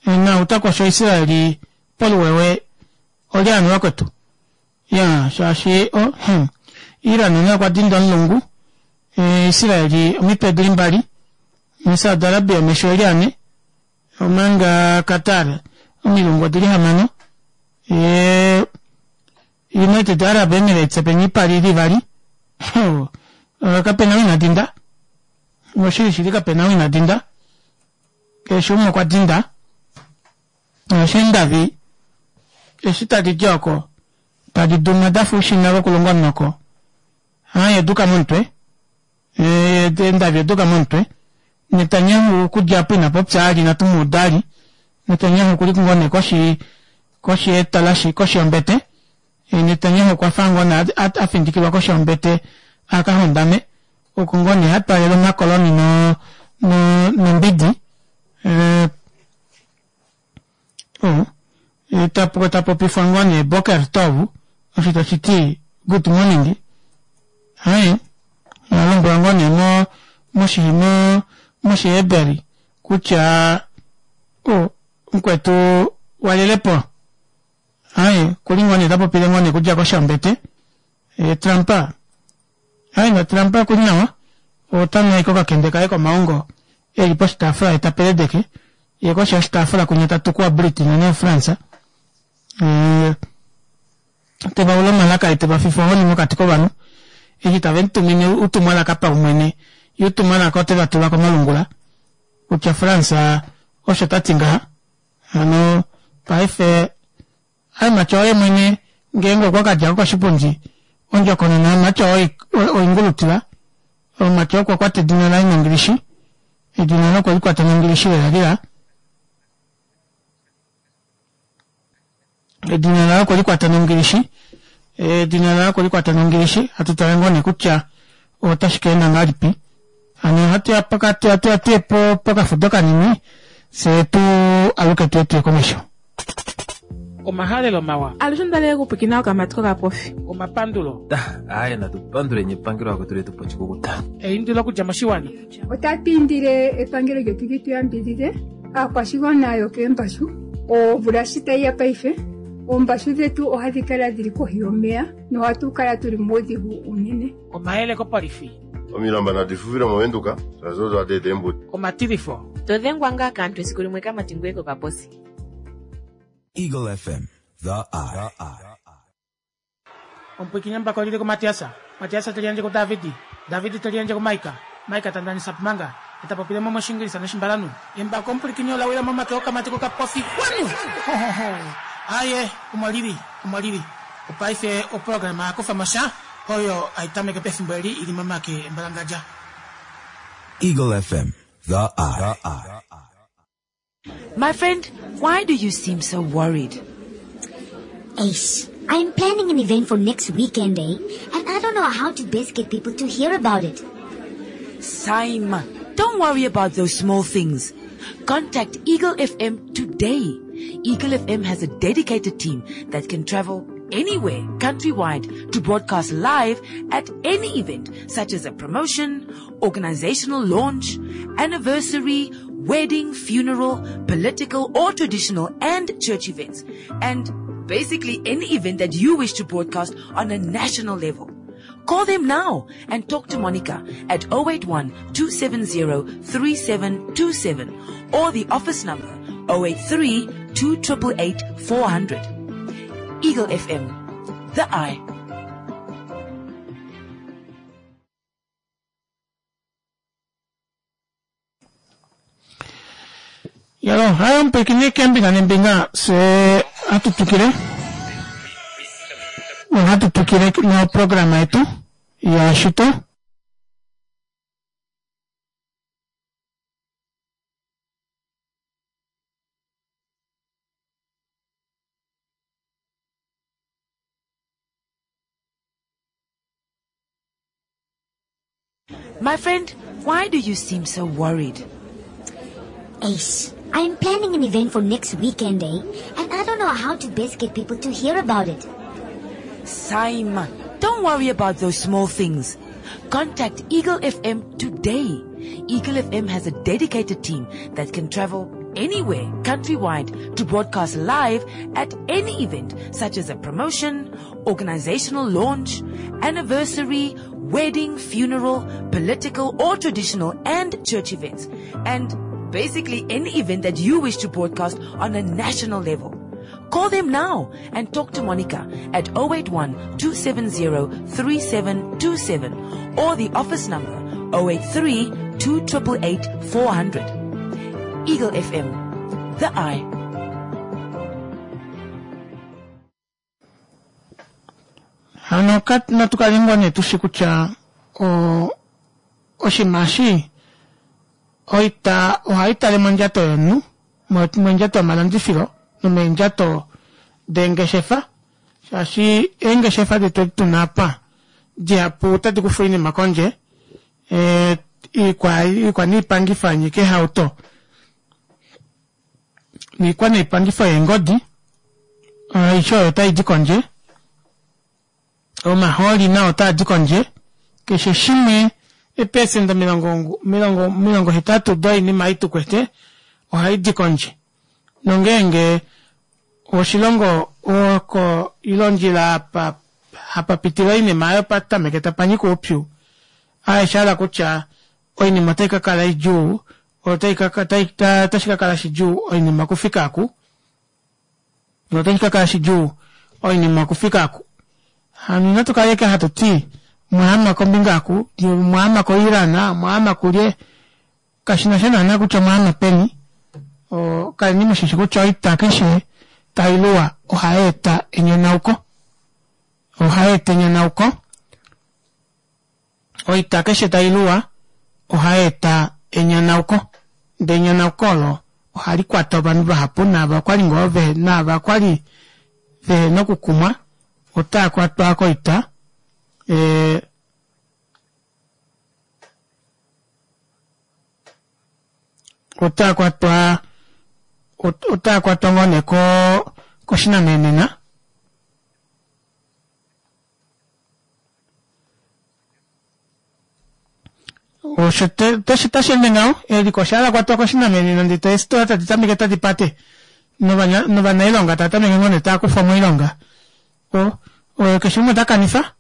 A: naau ta kosho Israeli poluwewe olye hano vakwetu? Ya, shaashi o, hum, Iran naye okwa dinda omulungu, Israeli omitwe dili mbali, Saudi Arabia omesho eli ane, omanga Qatar omilungu odili hamano, ye United Arab Emirates peni ipali ili ivali, kapena ou ina dinda, oshili shili kapena ou ina dinda, keshe umwe okwa dinda, Oshindavi eshi tadi di oko tadi duma da fa oushina vokulonga omunoko. Haye duka momutwe. Eendavi oduka momutwe. Netanyahu okudja apo ina popya ali inatu mu uda ali. Netanyahu okuli ngoo nee koshi koshi yetalashi koshi yombete. Netanyahu okwa fa ngoo nee a findikilwa koshi yombete a ka hondame. Oko ngoo nee ha twaalele omakoloni no no nombidi. Oh, ta ta popifwa ngoo nee Boker Tov, osho tashi ti good morning. Hai, alombwelwa ngoo nee mo moshi mo moshiheberi kutya oh, mukwetu walelepo. Hai, kuli ngoo nee ta popile ngoo nee kudja koshi yombete. E, Trump, hai na Trump kuli nawa, ota nu ashike okakende kaye komaongo eli poshitaafula ye ta peledeke, ye koshi yoshitaafula kwinya ta tuku waBritain noFrance. E, te va ula omalaka ye te va fifa ohoni mokati kovanhu eshi tave mu tumine utumwalaka paumwene, ye utumwalaka ote va tula komalungula. Kutya France osho ta ti ngaha. Hano paife Hamatya oye mwene ngeenge okwa ka dja ko koshipundi ondjokonona yaMatya oingulutila. Matya okwa kwata edina laye nongilishi. Edina laye okwe li kwata nongilishi lela lela. Edina laye okwe li kwata nongilishi. Edina laye okwe li kwata nongilishi. Hatu tale ngoo nee kutya otashi ka enda ngahelipi. Hano ohatu ya pokati hatu ya tuye po pokafudo kanini fye tu aluke tuye tuye komesho. Omahalelo mawa.
B: Alushe onda li okupwikina okamati kokapofi.
A: Omapandulo.
C: Aaye natu panduleni epangelo akwetu letu po oshikukuta.
A: Eindilo okudja moshiwana.
D: Otatu indile epangelo lyetu li tu yambidhidhe aakwashigwana yokeembashu. Omvula shi tayi ya paife, oombashu dhetu ohadhi kala dhili kohi yomeya nohatu kala tuli muudhigu uunene.
A: Omayele kopolifi.
E: Omilamba nadi fufile moVenduka shaashi odo hadi eta eembuto.
A: Omatilifo.
F: To dhengwa ngaa kaantu esiku limwe kamati ngoye kokaposi.
G: Eagle FM, The Eye.
A: Omupwiikini mbaka olili kuMatiasa, Matiasa te liyandje kuDavidi, Davidi te liyandje kuMaika, Maika ta ndanisa pmanga, e ta popile mo mOshingilisa nOshimbalanhu. Embako omupwilikini ola wila momake okamati kokapofi kwanu! Hohoho! Aaye, omo lili, omo lili. Opaife oprograma ya kufa mo sha oyo hai tameke pefimbo eli i li momake embalangadja.
G: Eagle FM, The Eye.
K: My friend, why do you seem so worried?
L: Ace, I'm planning an event for next weekend, eh? And I don't know how to best get people to hear about it.
K: Saima, don't worry about those small things. Contact Eagle FM today. Eagle FM has a dedicated team that can travel anywhere countrywide to broadcast live at any event such as a promotion, organizational launch, anniversary, wedding, funeral, political or traditional and church events. And basically any event that you wish to broadcast on a national level. Call them now and talk to Monica at 081 270 3727 or the office number 083 2888 400. Eagle FM, the eye.
A: Yalo, hayo mpwikini kembinga nembinga se hatu tukile ohatu tukile noprograma yetu yashito
K: My friend, why do you seem so worried?
L: Ace, I'm planning an event for next weekend, eh? And I don't know how to best get people to hear about it.
K: Saima, don't worry about those small things. Contact Eagle FM today. Eagle FM has a dedicated team that can travel anywhere countrywide to broadcast live at any event such as a promotion, organizational launch, anniversary, wedding, funeral, political or traditional and church events. And basically any event that you wish to broadcast on a national level. Call them now and talk to Monica at 081 270 3727 or the office number 083 2888 400. Eagle FM, the eye.
A: Hano natu kale ngoo nee tushi kutya oshinima eshi oita ohai tale mondjato yomunhu, mondjato yomalandifilo nomeendjato deengeshefa shaashi eengeshefa detu edi tuna apa dihapu otadi kufa oinima kondje iikwa niipangifo yanyika eehauto niikwa niipangifo yeengodi aishe oyo otai di kondje omahooli nao otaa di kondje keshe shimwe eepesenda omilongo omilongo omilongo hetatu doinima ei tukwete ohai di kondje nongeenge oshilongo oko ile ondjila apa hapa pitile oinima oyo patameke tapa nyika oupyu aeshe hala kutya oinima otai ka kala idjuu otai ka otashi ka kala shidjuu oinima okufika aku notashi ka kala shidjuu oinima okufika aku. Hano inatu kala ashike hatu ti mwaama kombinga aku, mwaama koIran, mwaama kulye. Kashi na sha naana kutya omwaana peni kaleni mushishi kutya oita keshe tailuwa ohayeeta enyonauko ohayeeta enyonauko oita keshe tailuwa ohayeeta enyonauko ndee enyonauko olo ohali kwata ovanhu vahapu naava kwali ngoo ve naava kwali vehena okukumwa otaa kwatwa koita ee otaa kwatwa otaa kwatwa ngoo nee ko koshinamenena osho tashi ende ngaho eliko osha lakwatwa koshinamenena ndee eesitola tadi tameke tadi pate novanailonga tava tameke ngoo nee tava kufwa moilonga keshe umwe ota kanifa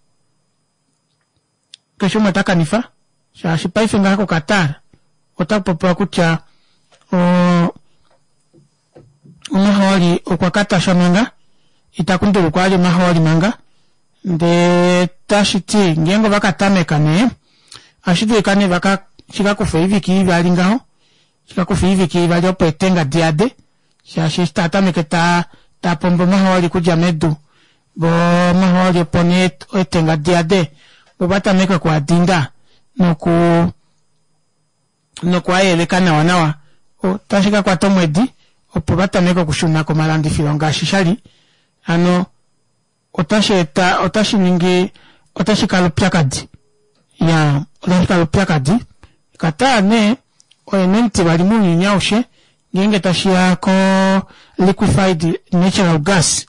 A: keshe umwe ota kanifa shaashi paife ngaha koQatar otakupopiwa kutya omahooli okwa katashwa manga itakundulukwa ali omahooli manga ndee tashiti ngeenge ovakatameka nee ohashi dulika nee vaka shikakufa oivike ivali ngaho shikakufa oivike ivali opo etenga diyade shaashi eshi taatameke tapombo omahooli okudja medu vo omahooli opo nee etenga diyade vo vatameke okuadinda noku nokuayeleka nawa nawa otashi kakwata omwedi opo vatameke okushuna komalandifilo ngaashi shali hano otashi eta otashi ningi otashi kala upyakadi ya otashi kala upyakadi Qatar nee oye nomutivali mounyuni aushe ngeenge tashiya ko liquefied natural gas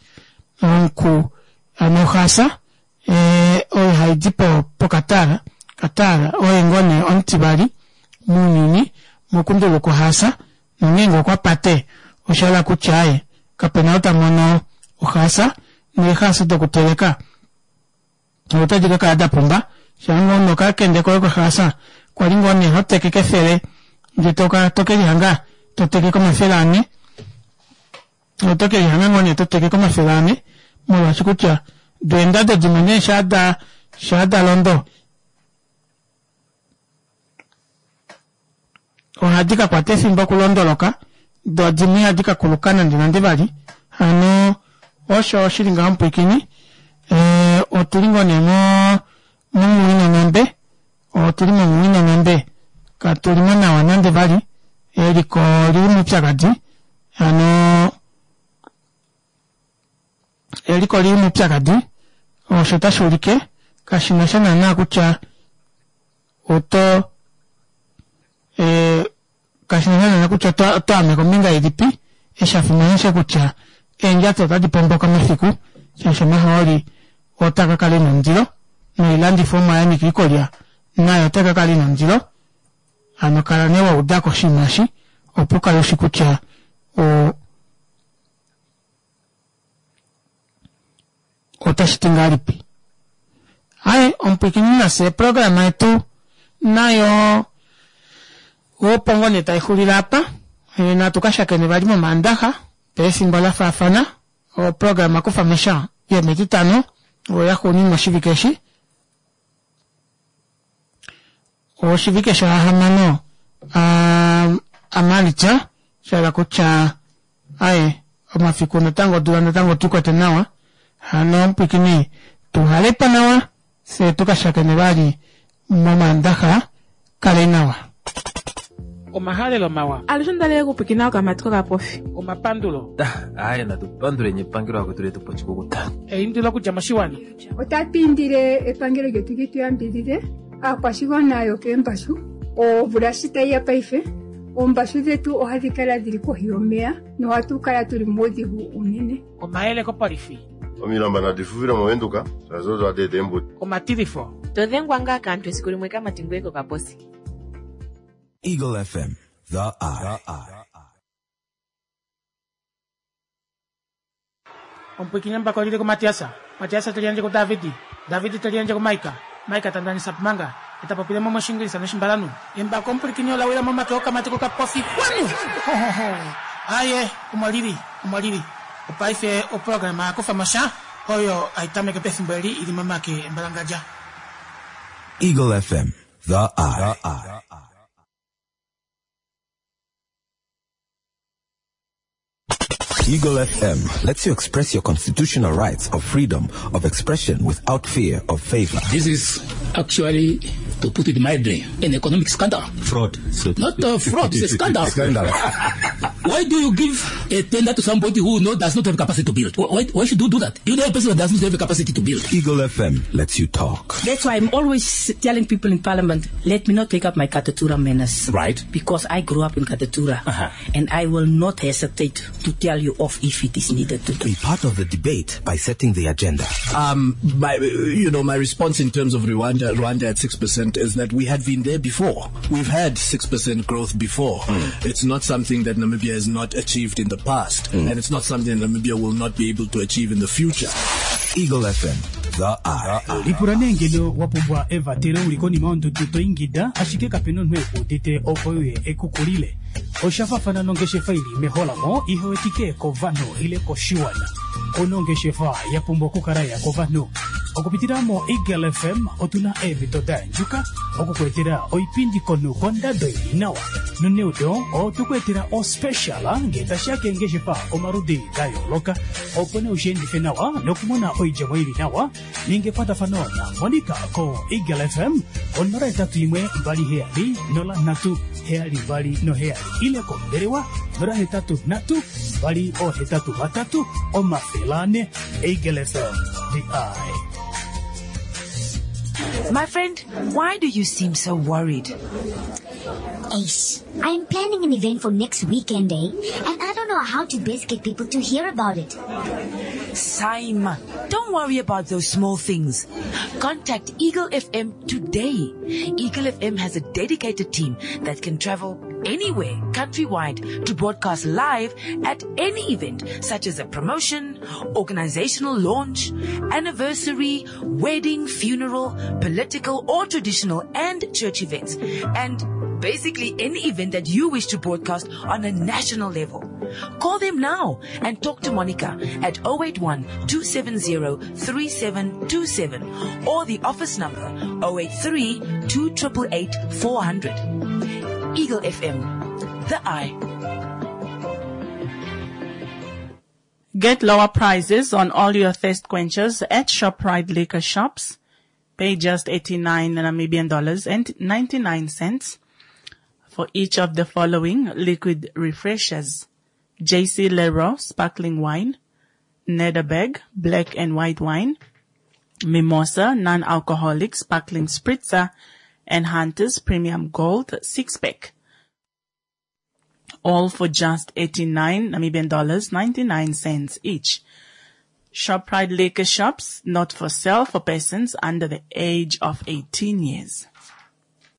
A: omuku hano oxaasa oyo haidi poQatar Qatar oye ngoo nee omutivali mounyuni mokunduluka ohaasa nongeenge okwa pate oshahala kutya aye kapena ou tamono ohaasa neehaasa dokuteleka otadi kakala dapumba shaangoo nokakende koye kohaasa kwali ngoo nee hoteke kefele ndee tokelihanga toteke komafele ane otokelihanga ngoo nee toteke komafele ane molwaashi kutya deendado dimwe nee shaada londo ohadi kakwata efimbo okulondoloka doo dimwe ihadi kakuluka nande nande vali hano osho oshili ngaho mupwiikini otuli ngoo nee momunghinonghambe otuli momunghinonghambe katulimo nawa nande vali eliko olili moupyakadi hano eliko olili moupyakadi osho tashi ulike kashinasha naana kutya oto kashinasha naana kutya oto ame kombinga ilipi eshi shafimana osho kutya eendjato otadi pomboka mafiku shaashi omahooli otaa kakala ena ondilo noilandifomwa yanyika oikulya nayo otai kakala ina ondilo hano kala nee waudako oshinima eshi opo ukale ushi kutya otashi ti ngahelipi aye omupwiikini nafye eprograma yetu nayo opo ngoo nee taixulile apa natu kashakene vali momaandaxa pefimbo lafaafana oprograma kufa mesha yometitano oyo yaxuuninwa oshivike eshi oshivike shahamano amalitya shahala kutya aye omafiku natango odula natango tukwete nawa hano omupwiikini tuhalepa nawa fye tukashakene vali momaandaxa kale nawa omahalelo mawa
B: alushe ondalele okupwikina okamati kokapofi
A: omapandulo
C: aye natupanduleni epangelo akwetu letu pochikukuta
A: eindilo okudja moshiwana
D: otatu indile epangelo lyetu li tu yambidhidhe aakwashigwana yokeembashu omvula shi tayi ya paife oombashu dhetu ohadhi kala dhili kohi yomeya nohatu kala tuli muudhigu unene
A: omayele kopolifi
E: Omilamba nadi fufile movenduka shaashi odo hadi eta eembuto
A: omatilifo
F: todhengwa ngaa kaantu esiku limwe kamati ngoye kokaposi
G: Eagle FM, the eye.
A: Omupwiikini mbako olile kumatiasa matiasa teliandje ku davidi davidi teliandje ku maika maika tandanisa pumanga etapopile mo moshingilisa noshimbalanu embako omupwiikini olawila momake okamati kokapofi kwanu aye omolili omolili opaife oprograma yakufa mosha oyo aitameke pefimbo eli ili momake embalangadja
G: Eagle FM, the eye. Eagle FM lets you express your constitutional rights of freedom of expression without fear of favor.
O: This is actually, to put it mildly, an economic scandal.
G: Fraud. So
O: Not a fraud, it's a scandal.
G: Scandal.
O: Why do you give a tender to somebody who does not have capacity to build? Why should you do that? You know a person that does not have the capacity to build.
G: Eagle FM lets you talk.
P: That's why I'm always telling people in Parliament, let me not take up my Katutura manners.
O: Right.
P: Because I grew up in Katutura.
O: Uh-huh.
P: And I will not hesitate to tell you off if it is needed to do.
G: Be part of the debate by setting the agenda.
Q: My response in terms of Rwanda at 6% is that we had been there before. We've had 6% growth before. It's not something that Namibia has not achieved in the past, and it's not something that Namibia will not be able to achieve in the future.
G: Eagle FM, the Eye.
R: Lipula nee ngeno wa pumbwa evatelo uli konima yondudu to ingida ashike kapena omunhu ekuudite opo uye ekukulile. Osha fafana nongeshefa ili meholamo ihewetike kovanhu ile koshiwana. Onongeshefa ya pumbwa okukala ya kovanhu. Okupitila mo Eagle FM otuna eemhito da yandjuka okukuetela oipindi komunhu kondado ili nawa. Noneudo otukuetela ospecial ngee tashiya keengeshefa omaludi da yooloka opo nee ushiendife nawa nokumona oidjemo ili nawa. Ninga ekwatafano na Monica ko Eagle FM ko 081 27 03 72 7 ile kombelewa 083 283 400. Eagle FM, the Eye.
K: My friend, why do you seem so worried?
L: Ace, I'm planning an event for next weekend, eh? And I don't know how to best get people to hear about it.
K: Saima, don't worry about those small things. Contact Eagle FM today. Eagle FM has a dedicated team that can travel anywhere countrywide to broadcast live at any event such as a promotion, organizational launch, anniversary, wedding, funeral, political or traditional and church events, and basically any event that you wish to broadcast on a national level. Call them now and talk to Monica at 081 270 3727 or the office number 083 2888 400. Eagle FM, the Eye.
B: Get lower prices on all your thirst quenchers at ShopRite Liquor Shops. Pay just 89 Namibian dollars and 99 cents for each of the following liquid refreshers: JC Leroy sparkling wine, Nederburg black and white wine, Mimosa non-alcoholic sparkling spritzer, and Hunter's Premium Gold 6-pack. All for just 89 Namibian dollars 99 cents each. ShopRite Liquor Shops, not for sale for persons under the age of 18 years.